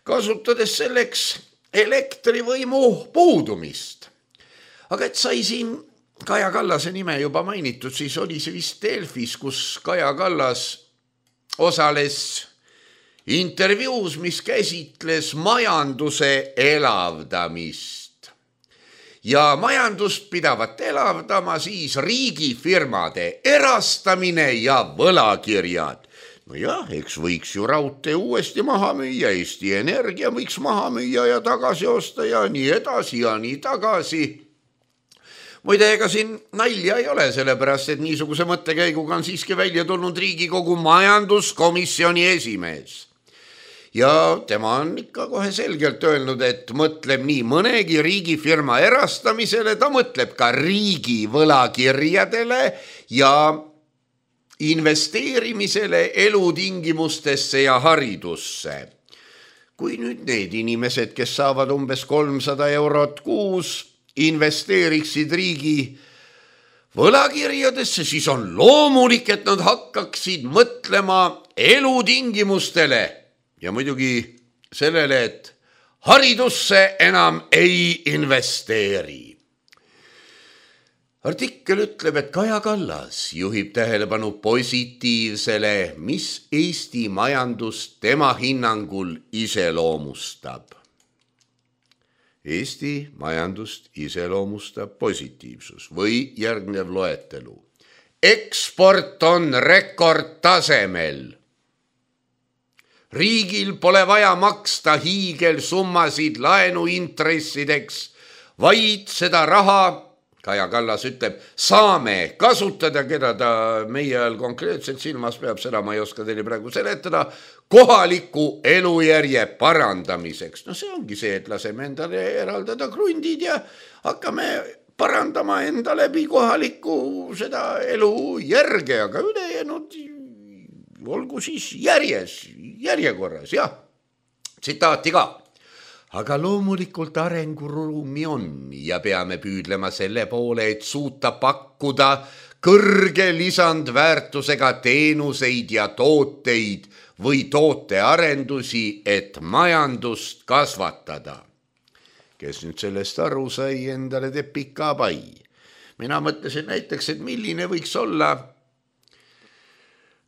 kasutades selleks elektrivõimu puudumist. Aga et sai siin Kaja Kallase nime juba mainitud, siis oli see vist Delfis, kus Kaja Kallas osales intervjuus, mis käsitles majanduse elavdamist. Ja majandust pidavat elavdama siis riigifirmade erastamine ja võlakirjad. No jah, eks võiks ju raudtee uuesti maha müüa, Eesti Energia võiks maha müüa ja tagasi osta ja nii edasi ja nii tagasi. Muide, ega siin nalja ei ole, sellepärast, et niisuguse mõttekäiguga on siiski välja tulnud Riigikogu majanduskomisjoni esimees. Ja tema on ikka kohe selgelt öelnud, et mõtleb nii mõnegi riigifirma erastamisele, ta mõtleb ka riigi võlakirjadele ja investeerimisele elutingimustesse ja haridusse. Kui nüüd need inimesed, kes saavad umbes kolmsada eurot kuus, investeeriksid riigi võlakirjadesse, siis on loomulik, et nad hakkaksid mõtlema elutingimustele. Ja muidugi sellele, et haridusse enam ei investeeri. Artikkel ütleb, et Kaja Kallas juhib tähelepanu positiivsele, mis Eesti majandust tema hinnangul iseloomustab. Eesti majandust iseloomustab positiivsus või järgnev loetelu. Eksport on rekordtasemel. Riigil pole vaja maksta hiigelsummasid laenuintressideks, vaid seda raha, Kaja Kallas ütleb, saame kasutada, keda ta meie ajal konkreetselt silmas peab, seda ma ei oska teile praegu seletada, kohaliku elujärje parandamiseks. No see ongi see, et laseme endale eraldada krundid ja hakkame parandama enda läbi kohaliku seda elujärge, aga ülejäänud olgu siis järjes, järjekorras, jah, tsitaati ka. Aga loomulikult arenguruumi on ja peame püüdlema selle poole, et suuta pakkuda kõrge lisandväärtusega teenuseid ja tooteid või tootearendusi, et majandust kasvatada. Kes nüüd sellest aru sai, endale teeb pika pai. Mina mõtlesin näiteks, et milline võiks olla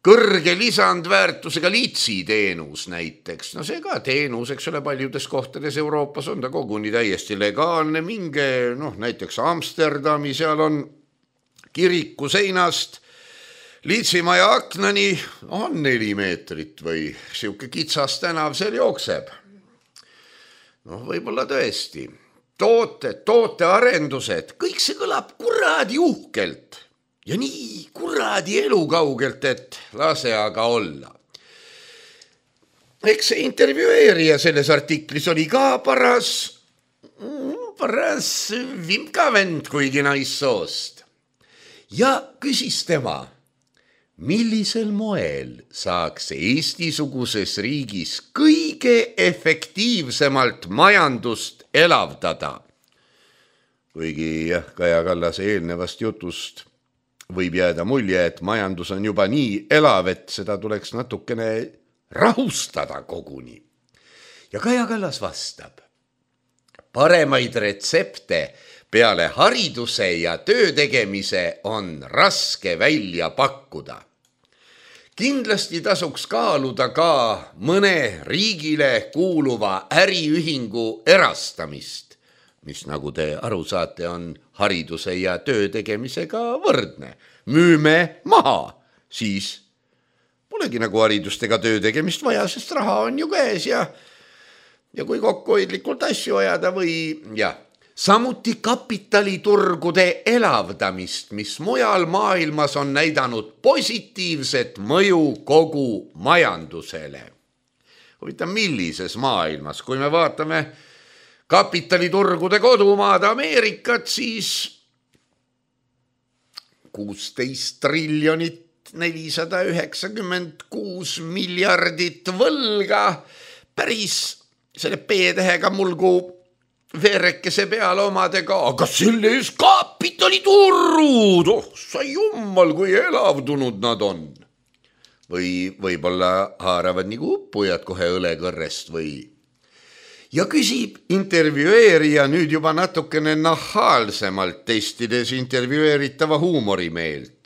kõrge lisandväärtusega liitsiteenus näiteks. No see ka teenus, eks ole, paljudes kohtades Euroopas on ta koguni täiesti legaalne. Minge, noh, näiteks Amsterdami, seal on kiriku seinast liitsimaja aknani on neli meetrit või siuke kitsas tänav seal jookseb. Noh, võib-olla tõesti. Toote, tootearendused, kõik see kõlab kuradi uhkelt. Ja nii kuradi elukaugelt, et lase aga olla. Eks see intervjueerija selles artiklis oli ka paras, paras vimkavend, kuigi naissoost. Ja küsis tema, millisel moel saaks Eesti-suguses riigis kõige efektiivsemalt majandust elavdada? Kuigi jah, Kaja Kallase eelnevast jutust võib jääda mulje, et majandus on juba nii elav, et seda tuleks natukene rahustada koguni. Ja Kaja Kallas vastab, paremaid retsepte peale hariduse ja töö tegemise on raske välja pakkuda. Kindlasti tasuks kaaluda ka mõne riigile kuuluva äriühingu erastamist, mis nagu te aru saate, on hariduse ja töö tegemisega võrdne. Müüme maha, siis polegi nagu haridust ega töö tegemist vaja, sest raha on ju käes ja, ja kui kokkuhoidlikult asju ajada või ja. Samuti kapitaliturgude elavdamist, mis mujal maailmas on näidanud positiivset mõju kogu majandusele. Huvitav, millises maailmas, kui me vaatame kapitaliturgude kodumaad Ameerikat, siis kuusteist triljonit nelisada üheksakümmend kuus miljardit võlga, päris selle P-tähega mulgu veerekese peale omadega, aga selle ees kapitaliturud, oh sa jummal, kui elavdunud nad on. Või võib-olla haaravad nagu uppujad kohe õlekõrrest või. Ja küsib intervjueerija nüüd juba natukene nahaalsemalt testides intervjueeritava huumorimeelt.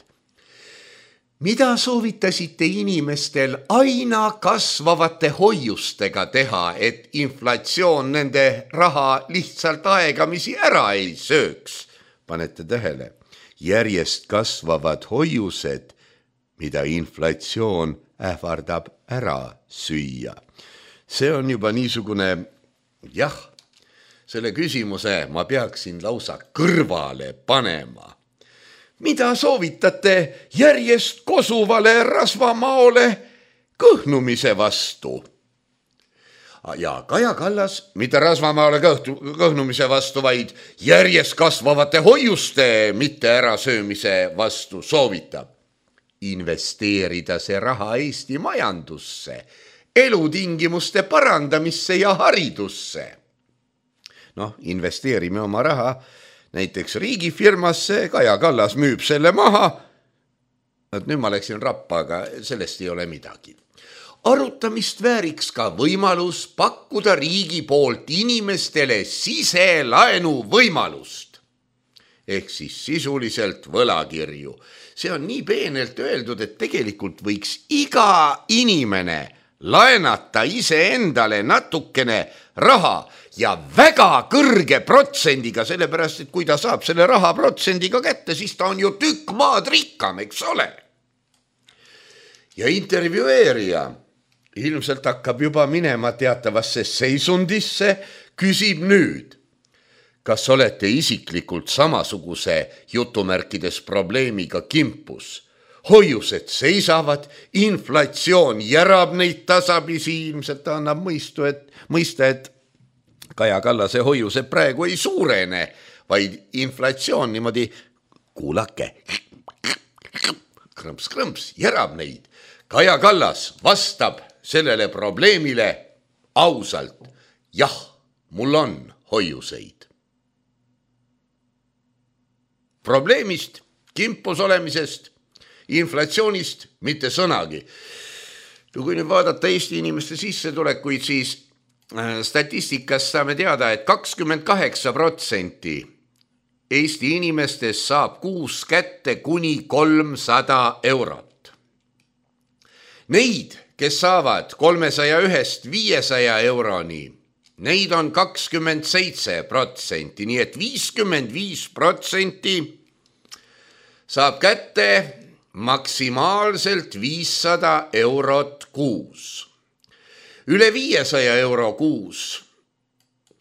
Mida soovitasite inimestel aina kasvavate hoiustega teha, et inflatsioon nende raha lihtsalt aegamisi ära ei sööks? Panete tähele, järjest kasvavad hoiused, mida inflatsioon ähvardab ära süüa. See on juba niisugune, jah, selle küsimuse ma peaksin lausa kõrvale panema. Mida soovitate järjest kosuvale rasvamaole kõhnumise vastu? Ja Kaja Kallas, mitte rasvamaale kõhnumise vastu, vaid järjest kasvavate hoiuste mitte ärasöömise vastu soovitab investeerida see raha Eesti majandusse, elutingimuste parandamisse ja haridusse. Noh, investeerime oma raha näiteks riigifirmasse, Kaja Kallas müüb selle maha. Nüüd ma läksin rappa, aga sellest ei ole midagi. Arutamist vääriks ka võimalus pakkuda riigi poolt inimestele siselaenu võimalust. Ehk siis sisuliselt võlakirju. See on nii peenelt öeldud, et tegelikult võiks iga inimene laenata iseendale natukene raha ja väga kõrge protsendiga, sellepärast, et kui ta saab selle raha protsendiga kätte, siis ta on ju tükk maad rikkam, eks ole. Ja intervjueerija ilmselt hakkab juba minema teatavasse seisundisse, küsib nüüd, kas olete isiklikult samasuguse jutumärkides probleemiga kimpus? Hoiused seisavad, inflatsioon järab neid tasapisi, ilmselt annab mõistu, et, mõista, et Kaja Kallase hoiused praegu ei suurene, vaid inflatsioon niimoodi, kuulake, krõmps-krõmps, järab neid. Kaja Kallas vastab sellele probleemile ausalt. Jah, mul on hoiuseid. Probleemist kimpus olemisest, inflatsioonist mitte sõnagi. Kui nüüd vaadata Eesti inimeste sissetulekuid, siis statistikast saame teada, et kakskümmend kaheksa protsenti Eesti inimestest saab kuus kätte kuni kolmsada eurot. Neid, kes saavad kolmesaja ühest viiesaja euroni, neid on kakskümmend seitse protsenti, nii et viiskümmend viis protsenti saab kätte maksimaalselt viissada eurot kuus. Üle viiesaja euro kuus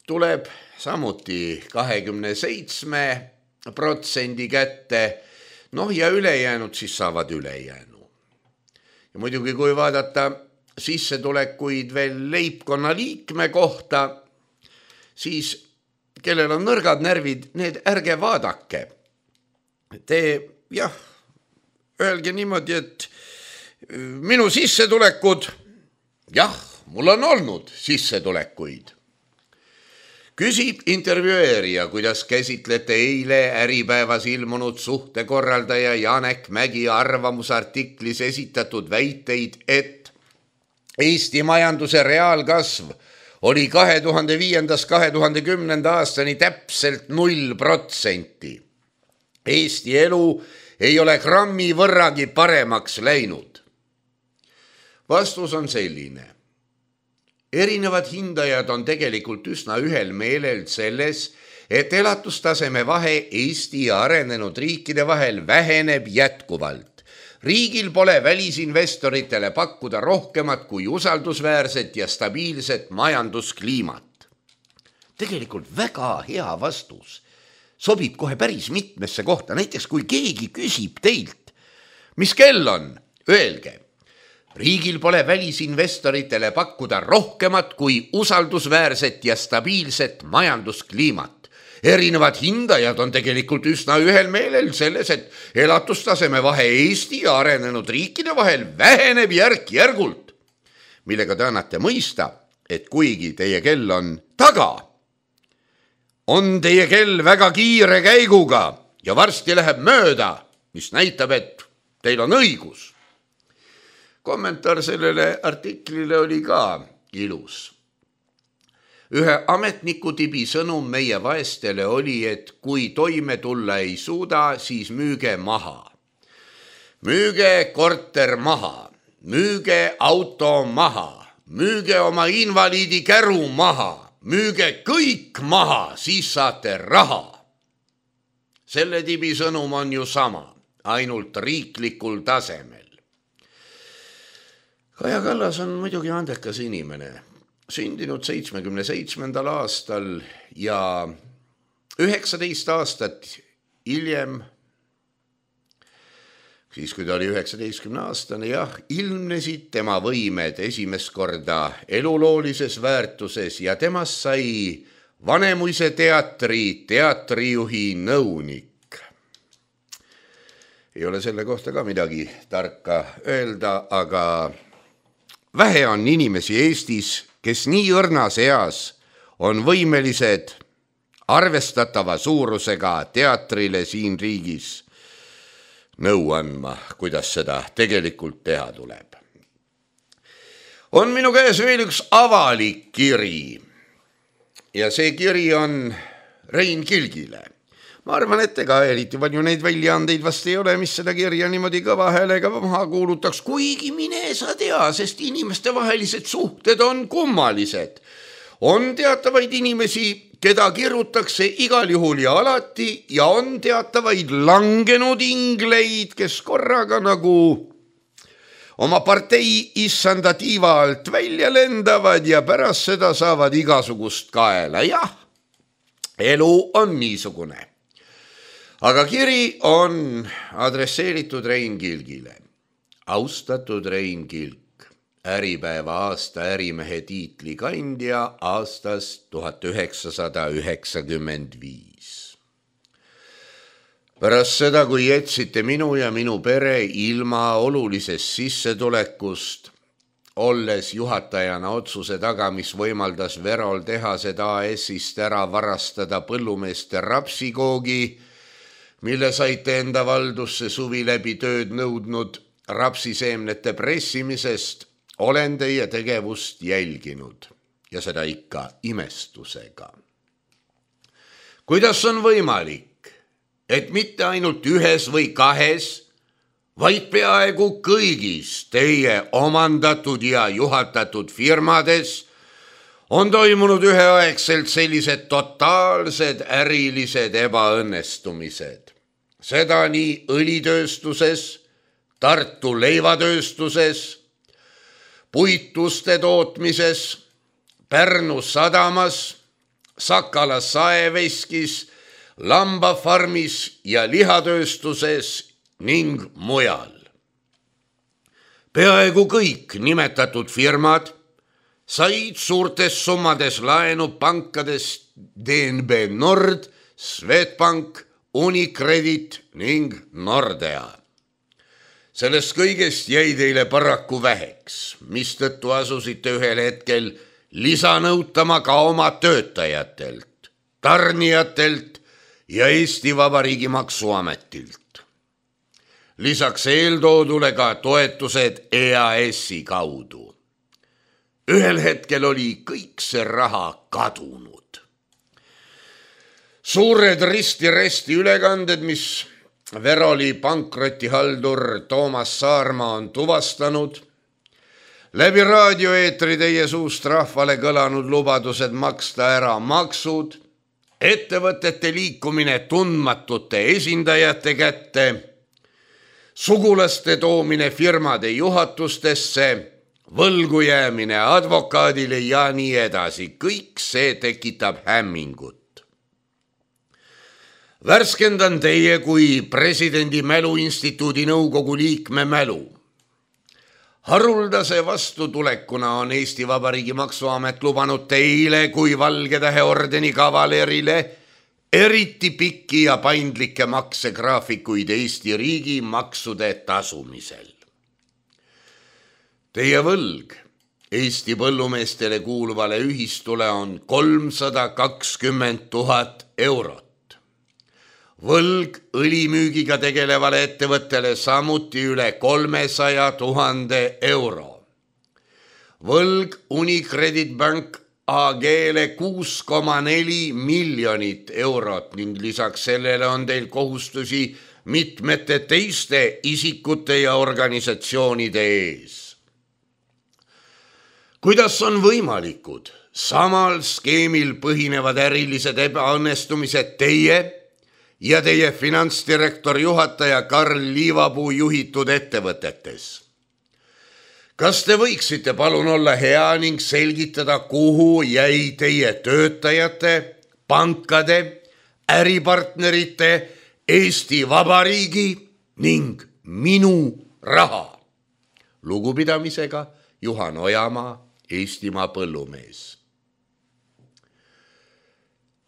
tuleb samuti kahekümne seitsme protsendi kätte, noh ja ülejäänud siis saavad ülejäänu. Ja muidugi, kui vaadata sissetulekuid veel leibkonna liikme kohta, siis kellel on nõrgad närvid, need ärge vaadake. Te, jah, öelge niimoodi, et minu sissetulekud, jah, mul on olnud sissetulekuid. Küsib intervjueerija, kuidas käsitlete eile Äripäevas ilmunud suhtekorraldaja Janek Mägi arvamusartiklis esitatud väiteid, et Eesti majanduse reaalkasv oli kahe tuhande viiendast kahe tuhande kümnenda aastani täpselt null protsenti. Eesti elu ei ole grammi võrragi paremaks läinud. Vastus on selline. Erinevad hindajad on tegelikult üsna ühel meelel selles, et elatustaseme vahe Eesti ja arenenud riikide vahel väheneb jätkuvalt. Riigil pole välisinvestoritele pakkuda rohkemat kui usaldusväärset ja stabiilset majanduskliimat. Tegelikult väga hea vastus. Sobib kohe päris mitmesse kohta. Näiteks kui keegi küsib teilt, mis kell on, öelge. Riigil pole välisinvestoritele pakkuda rohkemat kui usaldusväärset ja stabiilset majanduskliimat. Erinevad hindajad on tegelikult üsna ühel meelel selles, et elatustaseme vahe Eesti ja arenenud riikide vahel väheneb järk-järgult, millega te annate mõista, et kuigi teie kell on taga, on teie kell väga kiire käiguga ja varsti läheb mööda, mis näitab, et teil on õigus. Kommentaar sellele artiklile oli ka ilus. Ühe ametniku tibi sõnum meie vaestele oli, et kui toime tulla ei suuda, siis müüge maha. Müüge korter maha, müüge auto maha, müüge oma invaliidi käru maha, müüge kõik maha, siis saate raha. Selle tibi sõnum on ju sama, ainult riiklikul tasemel. Kaja Kallas on muidugi andekas inimene, sündinud seitsmekümne seitsmendal aastal ja üheksateist aastat hiljem, siis kui ta oli üheksateistkümne aastane, jah, ilmnesid tema võimed esimest korda eluloolises väärtuses ja temast sai Vanemuise teatri teatrijuhi nõunik. Ei ole selle kohta ka midagi tarka öelda, aga vähe on inimesi Eestis, kes nii õrnas eas on võimelised arvestatava suurusega teatrile siin riigis nõu andma, kuidas seda tegelikult teha tuleb. On minu käes veel üks avalik kiri ja see kiri on Rein Kilgile. Ma arvan, et ega eriti palju neid väljaandeid vast ei ole, mis seda kirja niimoodi kõva häälega maha kuulutaks, kuigi mine sa tea, sest inimeste vahelised suhted on kummalised. On teatavaid inimesi, keda kirutakse igal juhul ja alati ja on teatavaid langenud ingleid, kes korraga nagu oma partei issanda tiiva alt välja lendavad ja pärast seda saavad igasugust kaela. Jah, elu on niisugune. Aga kiri on adresseeritud Rein Kilgile. Austatud Rein Kilk, Äripäeva aasta ärimehe tiitli kandja aastast tuhat üheksasada üheksakümmend viis. Pärast seda, kui jätsite minu ja minu pere ilma olulisest sissetulekust, olles juhatajana otsuse taga, mis võimaldas Verol tehased A S-ist ära varastada põllumeeste rapsikoogi, mille saite enda valdusse suvi läbi tööd nõudnud rapsiseemnete pressimisest, olen teie tegevust jälginud ja seda ikka imestusega. Kuidas on võimalik, et mitte ainult ühes või kahes, vaid peaaegu kõigis teie omandatud ja juhatatud firmades on toimunud üheaegselt sellised totaalsed ärilised ebaõnnestumised. Seda nii õlitööstuses, Tartu leivatööstuses, puituste tootmises, Pärnu sadamas, Sakala saeveskis, lambafarmis ja lihatööstuses ning mujal. Peaaegu kõik nimetatud firmad said suurtes summades laenu pankadest D N B Nord, Swedbank, Unicredit ning Nordea. Sellest kõigest jäi teile paraku väheks, mistõttu asusite ühel hetkel lisanõutama ka oma töötajatelt, tarnijatelt ja Eesti Vabariigi Maksuametilt. Lisaks eeltoodule ka toetused E A S-i kaudu. Ühel hetkel oli kõik see raha kadunud. Suured risti-resti ülekanded, mis Veroli pankrotihaldur Toomas Saarma on tuvastanud, läbi raadioeetri teie suust rahvale kõlanud lubadused maksta ära maksud, ettevõtete liikumine tundmatute esindajate kätte, sugulaste toomine firmade juhatustesse, võlgu jäämine advokaadile ja nii edasi. Kõik see tekitab hämmingut. Värskendan teie kui presidendi mäluinstituudi nõukogu liikme mälu. Haruldase vastutulekuna on Eesti Vabariigi Maksuamet lubanud teile kui Valgetähe ordeni kavalerile eriti pikki ja paindlikke maksegraafikuid Eesti riigi maksude tasumisel. Teie võlg Eesti põllumeestele kuuluvale ühistule on kolmsada kakskümmend tuhat eurot. Võlg õlimüügiga tegelevale ettevõttele samuti üle kolmesaja tuhande euro. Võlg Unicredit Bank A G-le kuus koma neli miljonit eurot ning lisaks sellele on teil kohustusi mitmete teiste isikute ja organisatsioonide ees. Kuidas on võimalikud samal skeemil põhinevad ärilised ebaõnnestumised teie ja teie finantsdirektor juhataja Karl Liivapuu juhitud ettevõtetes? Kas te võiksite palun olla hea ning selgitada, kuhu jäi teie töötajate, pankade, äripartnerite, Eesti Vabariigi ning minu raha? Lugupidamisega Juhan Ojamaa, Eestimaa põllumees.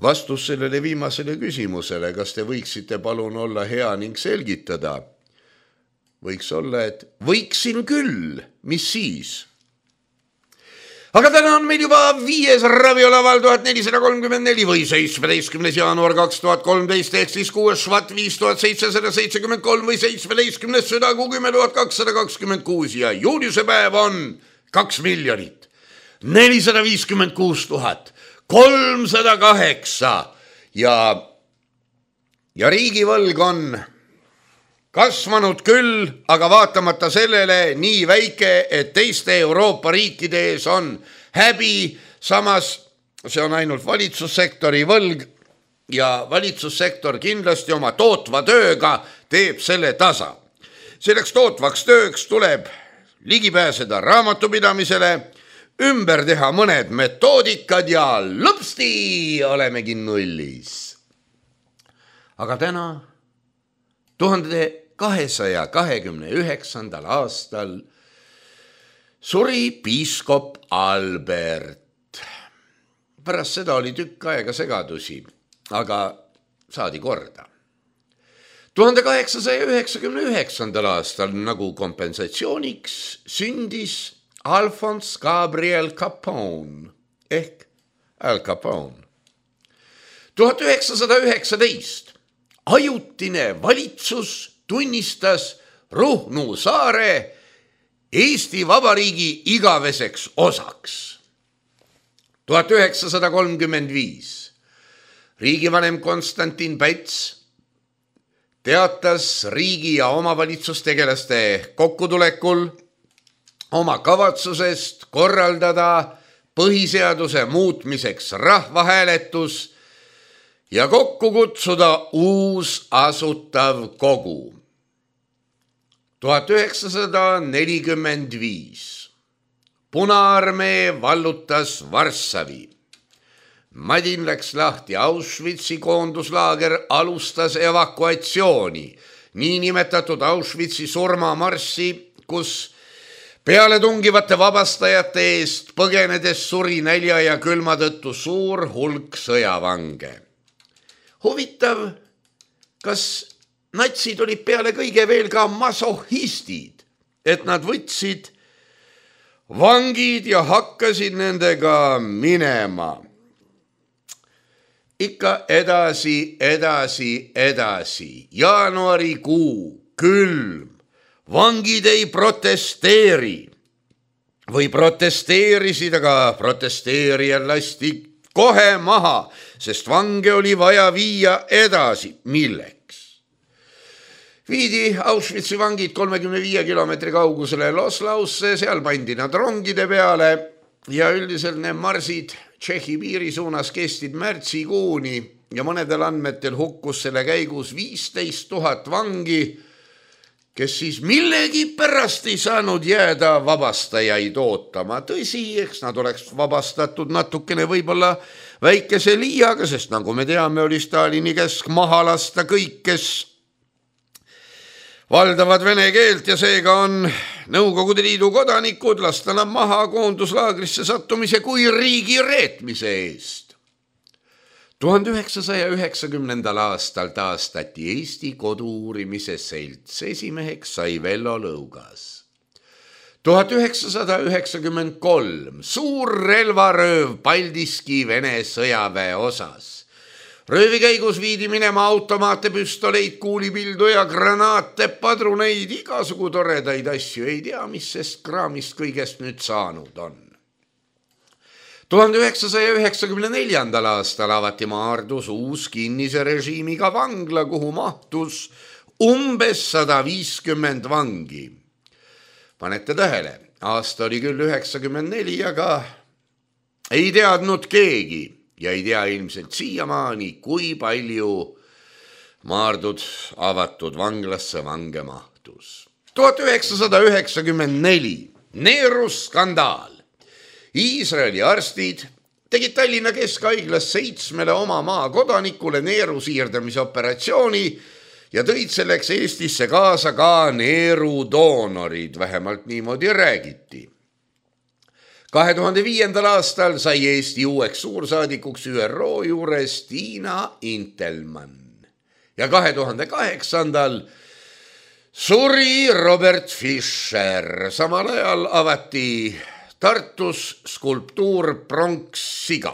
Vastus sellele viimasele küsimusele, kas te võiksite palun olla hea ning selgitada, võiks olla, et võiksin küll, mis siis? Aga täna on meil juba viies raviolaval tuhat nelisada kolmkümmend neli või seitsmeteistkümnes jaanuar kaks tuhat kolmteist ehk siis kuues švat viis tuhat seitsesada seitsekümmend kolm või seitsmeteistkümnes südakuu kümme tuhat kakssada kakskümmend kuus ja juuniuse päev on kaks miljonit nelisada viiskümmend kuus tuhat kolmsada kaheksa ja, ja riigivõlg on kasvanud küll, aga vaatamata sellele nii väike, et teiste Euroopa riikide ees on häbi, samas see on ainult valitsussektori võlg ja valitsussektor kindlasti oma tootva tööga teeb selle tasa. Selleks tootvaks tööks tuleb ligipääseda raamatupidamisele, ümber teha mõned metoodikad ja lõpsti olemegi nullis. Aga täna, tuhande kahesaja kahekümne üheksandal aastal suri piiskop Albert. Pärast seda oli tükk aega segadusi, aga saadi korda. tuhande kaheksasaja üheksakümne üheksandal aastal nagu kompensatsiooniks sündis Alphonse Gabriel Capone ehk Al Capone. tuhat üheksasada üheksateist ajutine valitsus tunnistas Ruhnu saare Eesti Vabariigi igaveseks osaks. tuhat üheksasada kolmkümmend viis riigivanem Konstantin Päts teatas riigi ja omavalitsustegelaste kokkutulekul oma kavatsusest korraldada põhiseaduse muutmiseks rahvahääletus ja kokku kutsuda uus asutav kogu. tuhat üheksasada nelikümmend viis Punaarmee vallutas Varssavi. Madin läks lahti, Auschwitzi koonduslaager alustas evakuatsiooni, niinimetatud Auschwitzi surmamarssi, kus peale tungivate vabastajate eest põgenedes suri nälja ja külma tõttu suur hulk sõjavange. Huvitav, kas natsid olid peale kõige veel ka masohhistid, et nad võtsid vangid ja hakkasid nendega minema. Ikka edasi, edasi, edasi. Jaanuarikuu, külm. Vangid ei protesteeri või protesteerisid, aga protesteerijad lasti kohe maha, sest vange oli vaja viia edasi. Milleks? Viidi Auschwitzi vangid kolmekümne viie kilomeetri kaugusele Loslausse, seal pandi nad rongide peale ja üldiselt need marsid Tšehhi piiri suunas kestid märtsikuuni ja mõnedel andmetel hukkus selle käigus viisteist tuhat vangi, kes siis millegi pärast ei saanud jääda vabastajaid ootama. Tõsi, eks nad oleks vabastatud natukene võib-olla väikese liiaga, sest nagu me teame, oli Stalini käsk maha lasta kõik, kes valdavad vene keelt ja seega on Nõukogude Liidu kodanikud lasta nad maha koonduslaagrisse sattumise kui riigi reetmise eest. tuhande üheksasaja üheksakümnendal aastal taastati Eesti kodu-uurimise selts, esimeheks sai Vello Lõugas. tuhat üheksasada üheksakümmend kolm suur relvarööv Paldiski Vene sõjaväe osas. Röövi käigus viidi minema automaate, püstoleid, kuulipildu ja granaate, padruneid, igasugu toredaid asju. Ei tea, mis sest kraamist kõigest nüüd saanud on. tuhande üheksasaja üheksakümne neljandal aastal avati Maardus uus kinnise režiimiga vangla, kuhu mahtus umbes sada viiskümmend vangi. Panete tähele, aasta oli küll üheksakümmend neli, aga ei teadnud keegi. Ja ei tea ilmselt siiamaani, kui palju Maardud avatud vanglasse vange mahtus. tuhat üheksasada üheksakümmend neli Neeru skandaal. Iisraeli arstid tegid Tallinna Keskhaiglas seitsmele oma maa kodanikule neeru siirdamise operatsiooni ja tõid selleks Eestisse kaasa ka neeru doonorid, vähemalt niimoodi räägiti. kahe tuhande viiendal aastal sai Eesti uueks suursaadikuks Ü R O juures Tiina Intelmann ja kahe tuhande kaheksandal suri Robert Fischer. Samal ajal avati Tartus skulptuur pronkssiga.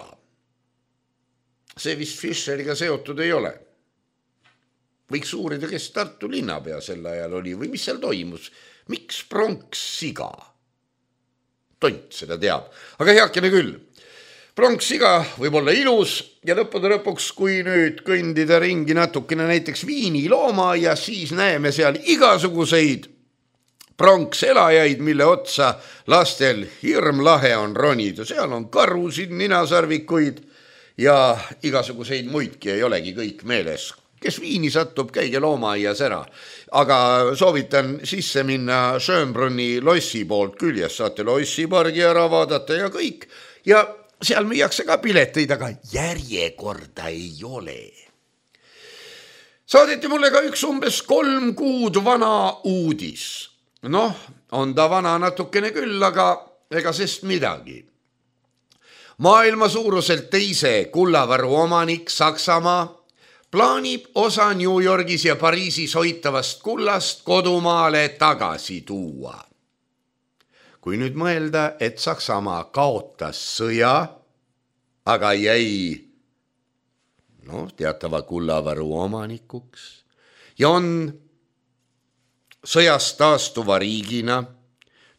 See vist Fischeriga seotud ei ole. Võiks uurida, kes Tartu linnapea sel ajal oli või mis seal toimus. Miks pronkssiga? Tont seda teab, aga heakene küll. Pronkssiga võib olla ilus ja lõppude lõpuks, kui nüüd kõndida ringi natukene näiteks Viini loomaaia, siis näeme seal igasuguseid pronkselajaid, mille otsa lastel hirm lahe on ronida. Seal on karusid, ninasarvikuid ja igasuguseid muidki ei olegi kõik meeles. Kes Viini satub, käige loomaaias ära. Aga soovitan sisse minna Schönbrunni lossi poolt küljes, saate lossipargi ära vaadata ja kõik. Ja seal müüakse ka pileteid, aga järjekorda ei ole. Saadeti mulle ka üks umbes kolm kuud vana uudis. Noh, on ta vana natukene küll, aga ega sest midagi. Maailma suuruselt teise kullavaru omanik Saksamaa plaanib osa New Yorgis ja Pariisis hoitavast kullast kodumaale tagasi tuua. Kui nüüd mõelda, et Saksamaa kaotas sõja, aga jäi no, teatava kullavaru omanikuks ja on sõjast taastuva riigina,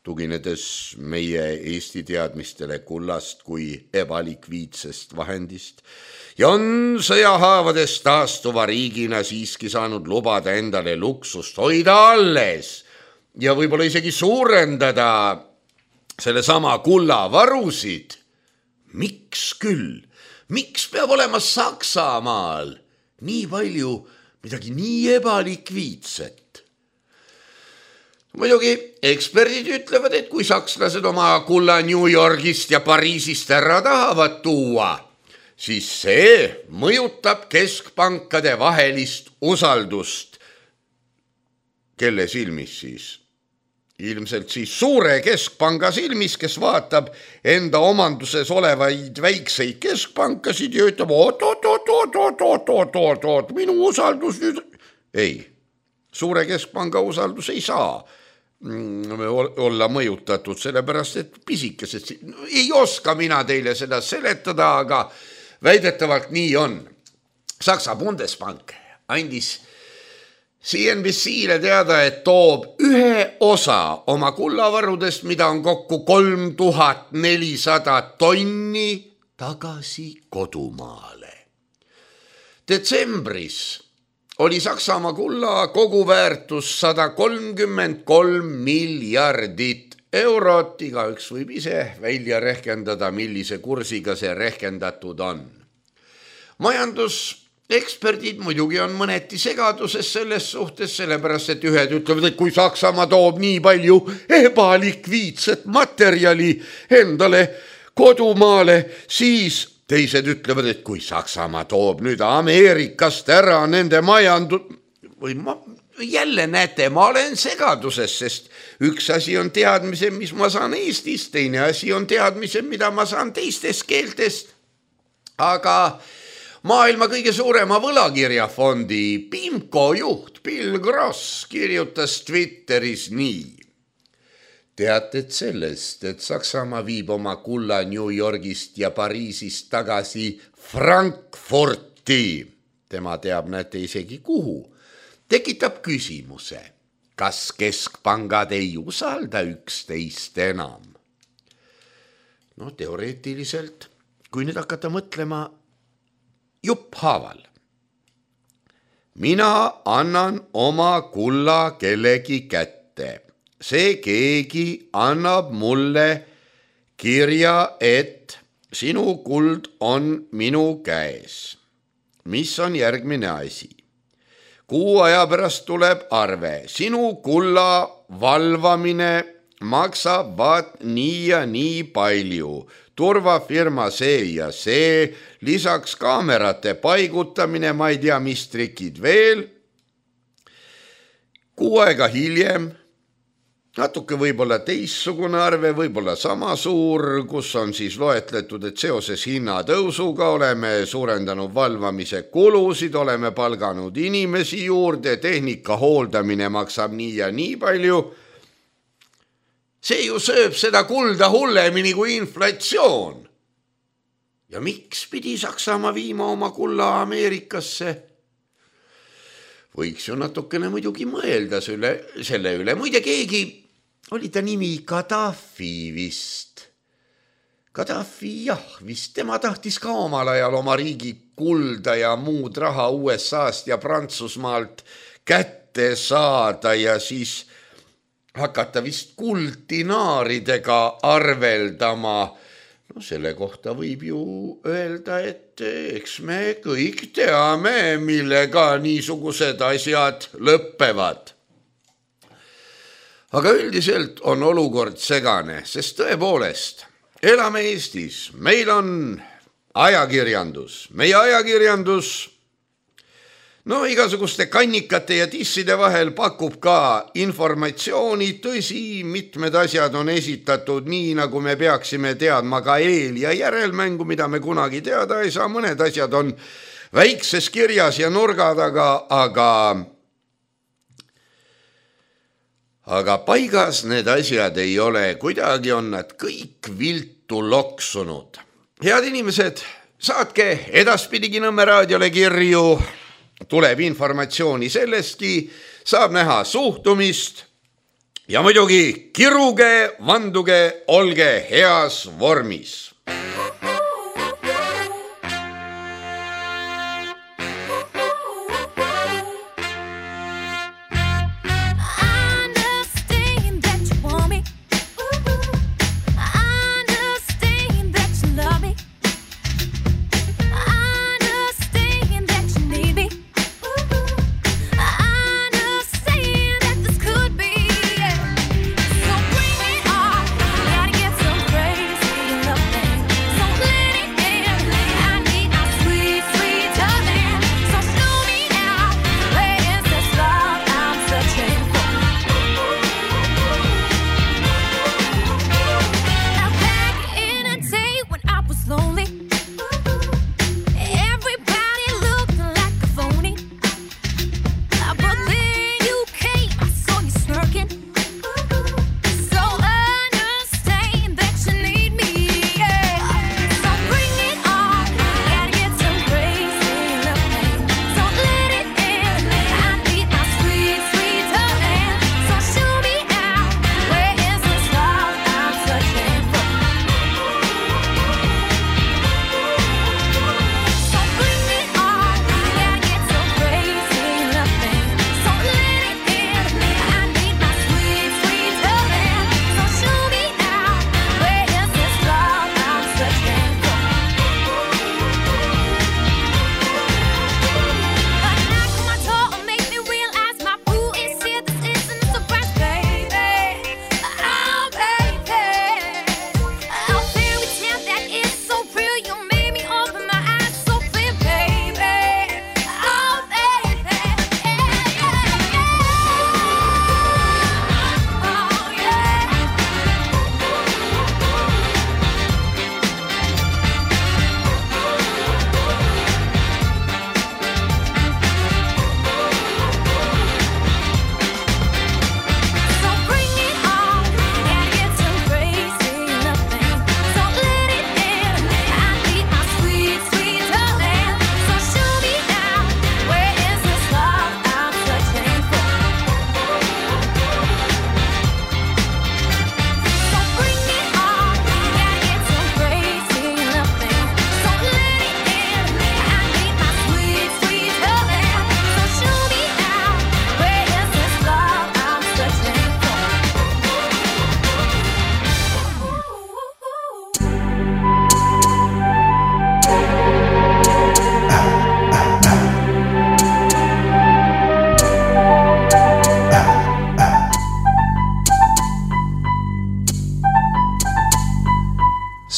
tuginedes meie Eesti teadmistele kullast kui ebalikviidsest vahendist ja on sõjahaavades taastuva riigina siiski saanud lubada endale luksust hoida alles ja võib-olla isegi suurendada selle sama kullavarusid. Miks küll? Miks peab olema Saksamaal nii palju midagi nii ebalikviidset? Muidugi eksperdid ütlevad, et kui sakslased oma kulla New Yorgist ja Pariisist ära tahavad tuua, siis see mõjutab keskpankade vahelist usaldust. Kelle silmis siis? Ilmselt siis suure keskpanga silmis, kes vaatab enda omanduses olevaid väikseid keskpankasid ja ütleb, oot, oot, oot, oot, oot, oot, oot, oot, oot, minu usaldus nüüd... Ei, suure keskpanga usaldus ei saa olla mõjutatud, sellepärast, et pisikesed... Ei oska mina teile seda seletada, aga väidetavalt nii on. Saksa Bundesbank andis C N B C-le teada, et toob ühe osa oma kullavarudest, mida on kokku kolm tuhat nelisada tonni tagasi kodumaale. Detsembris oli Saksamaa kulla koguväärtus sada kolmkümmend kolm miljardit eurot. Igaüks võib ise välja rehkendada, millise kursiga see rehkendatud on. Majandus eksperdid muidugi on mõneti segaduses selles suhtes, sellepärast, et ühed ütlevad, et kui Saksamaa toob nii palju ebalikviidset materjali endale kodumaale, siis teised ütlevad, et kui Saksamaa toob nüüd Ameerikast ära nende majandus... Või ma... Jälle näete, ma olen segaduses, sest üks asi on teadmise, mis ma saan Eestist, teine asi on teadmise, mida ma saan teistest keeltest. Aga... Maailma kõige suurema võlakirjafondi PIMCO juht Bill Gross kirjutas Twitteris nii. Teated sellest, et Saksamaa viib oma kulla New Yorgist ja Pariisist tagasi Frankfurti. Tema teab, näete isegi kuhu. Tekitab küsimuse, kas keskpangad ei usalda üksteist enam? No teoreetiliselt, kui nüüd hakata mõtlema, jupp haaval. Mina annan oma kulla kellegi kätte. See keegi annab mulle kirja, et sinu kuld on minu käes. Mis on järgmine asi? Kuu aja pärast tuleb arve. Sinu kulla valvamine maksab vaat nii ja nii palju. Turvafirma see ja see, lisaks kaamerate paigutamine, ma ei tea, mis trikid veel. Kuu aega hiljem, natuke võib-olla teissugune arve, võib-olla sama suur, kus on siis loetletud, et seoses hinnatõusuga oleme suurendanud valvamise kulusid, oleme palganud inimesi juurde, tehnika hooldamine maksab nii ja nii palju. See ju sööb seda kulda hullemini kui inflatsioon. Ja miks pidi Saksamaa viima oma kulla Ameerikasse? Võiks ju natukene muidugi mõelda selle, selle üle. Muide keegi, oli ta nimi Gaddafi vist. Gaddafi, jah, vist tema tahtis ka omal ajal oma riigi kulda ja muud raha U S A-st ja Prantsusmaalt kätte saada ja siis... hakata vist kulddinaaridega arveldama. No selle kohta võib ju öelda, et eks me kõik teame, millega niisugused asjad lõppevad. Aga üldiselt on olukord segane, sest tõepoolest elame Eestis. Meil on ajakirjandus. Meie ajakirjandus... No igasuguste kannikate ja tisside vahel pakub ka informatsiooni, tõsi, mitmed asjad on esitatud nii, nagu me peaksime teadma ka eel- ja järelmängu, mida me kunagi teada ei saa. Mõned asjad on väikses kirjas ja nurga taga, aga, aga paigas need asjad ei ole. Kuidagi on nad kõik viltu loksunud. Head inimesed, saatke edaspidigi Nõmme raadiole kirju, tuleb informatsiooni sellestki, saab näha suhtumist ja muidugi kiruge, vanduge, olge heas vormis.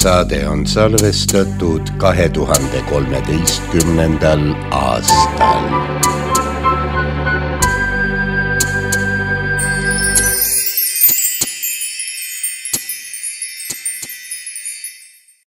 Saade on salvestatud kahe tuhande kolmeteistkümnendal aastal.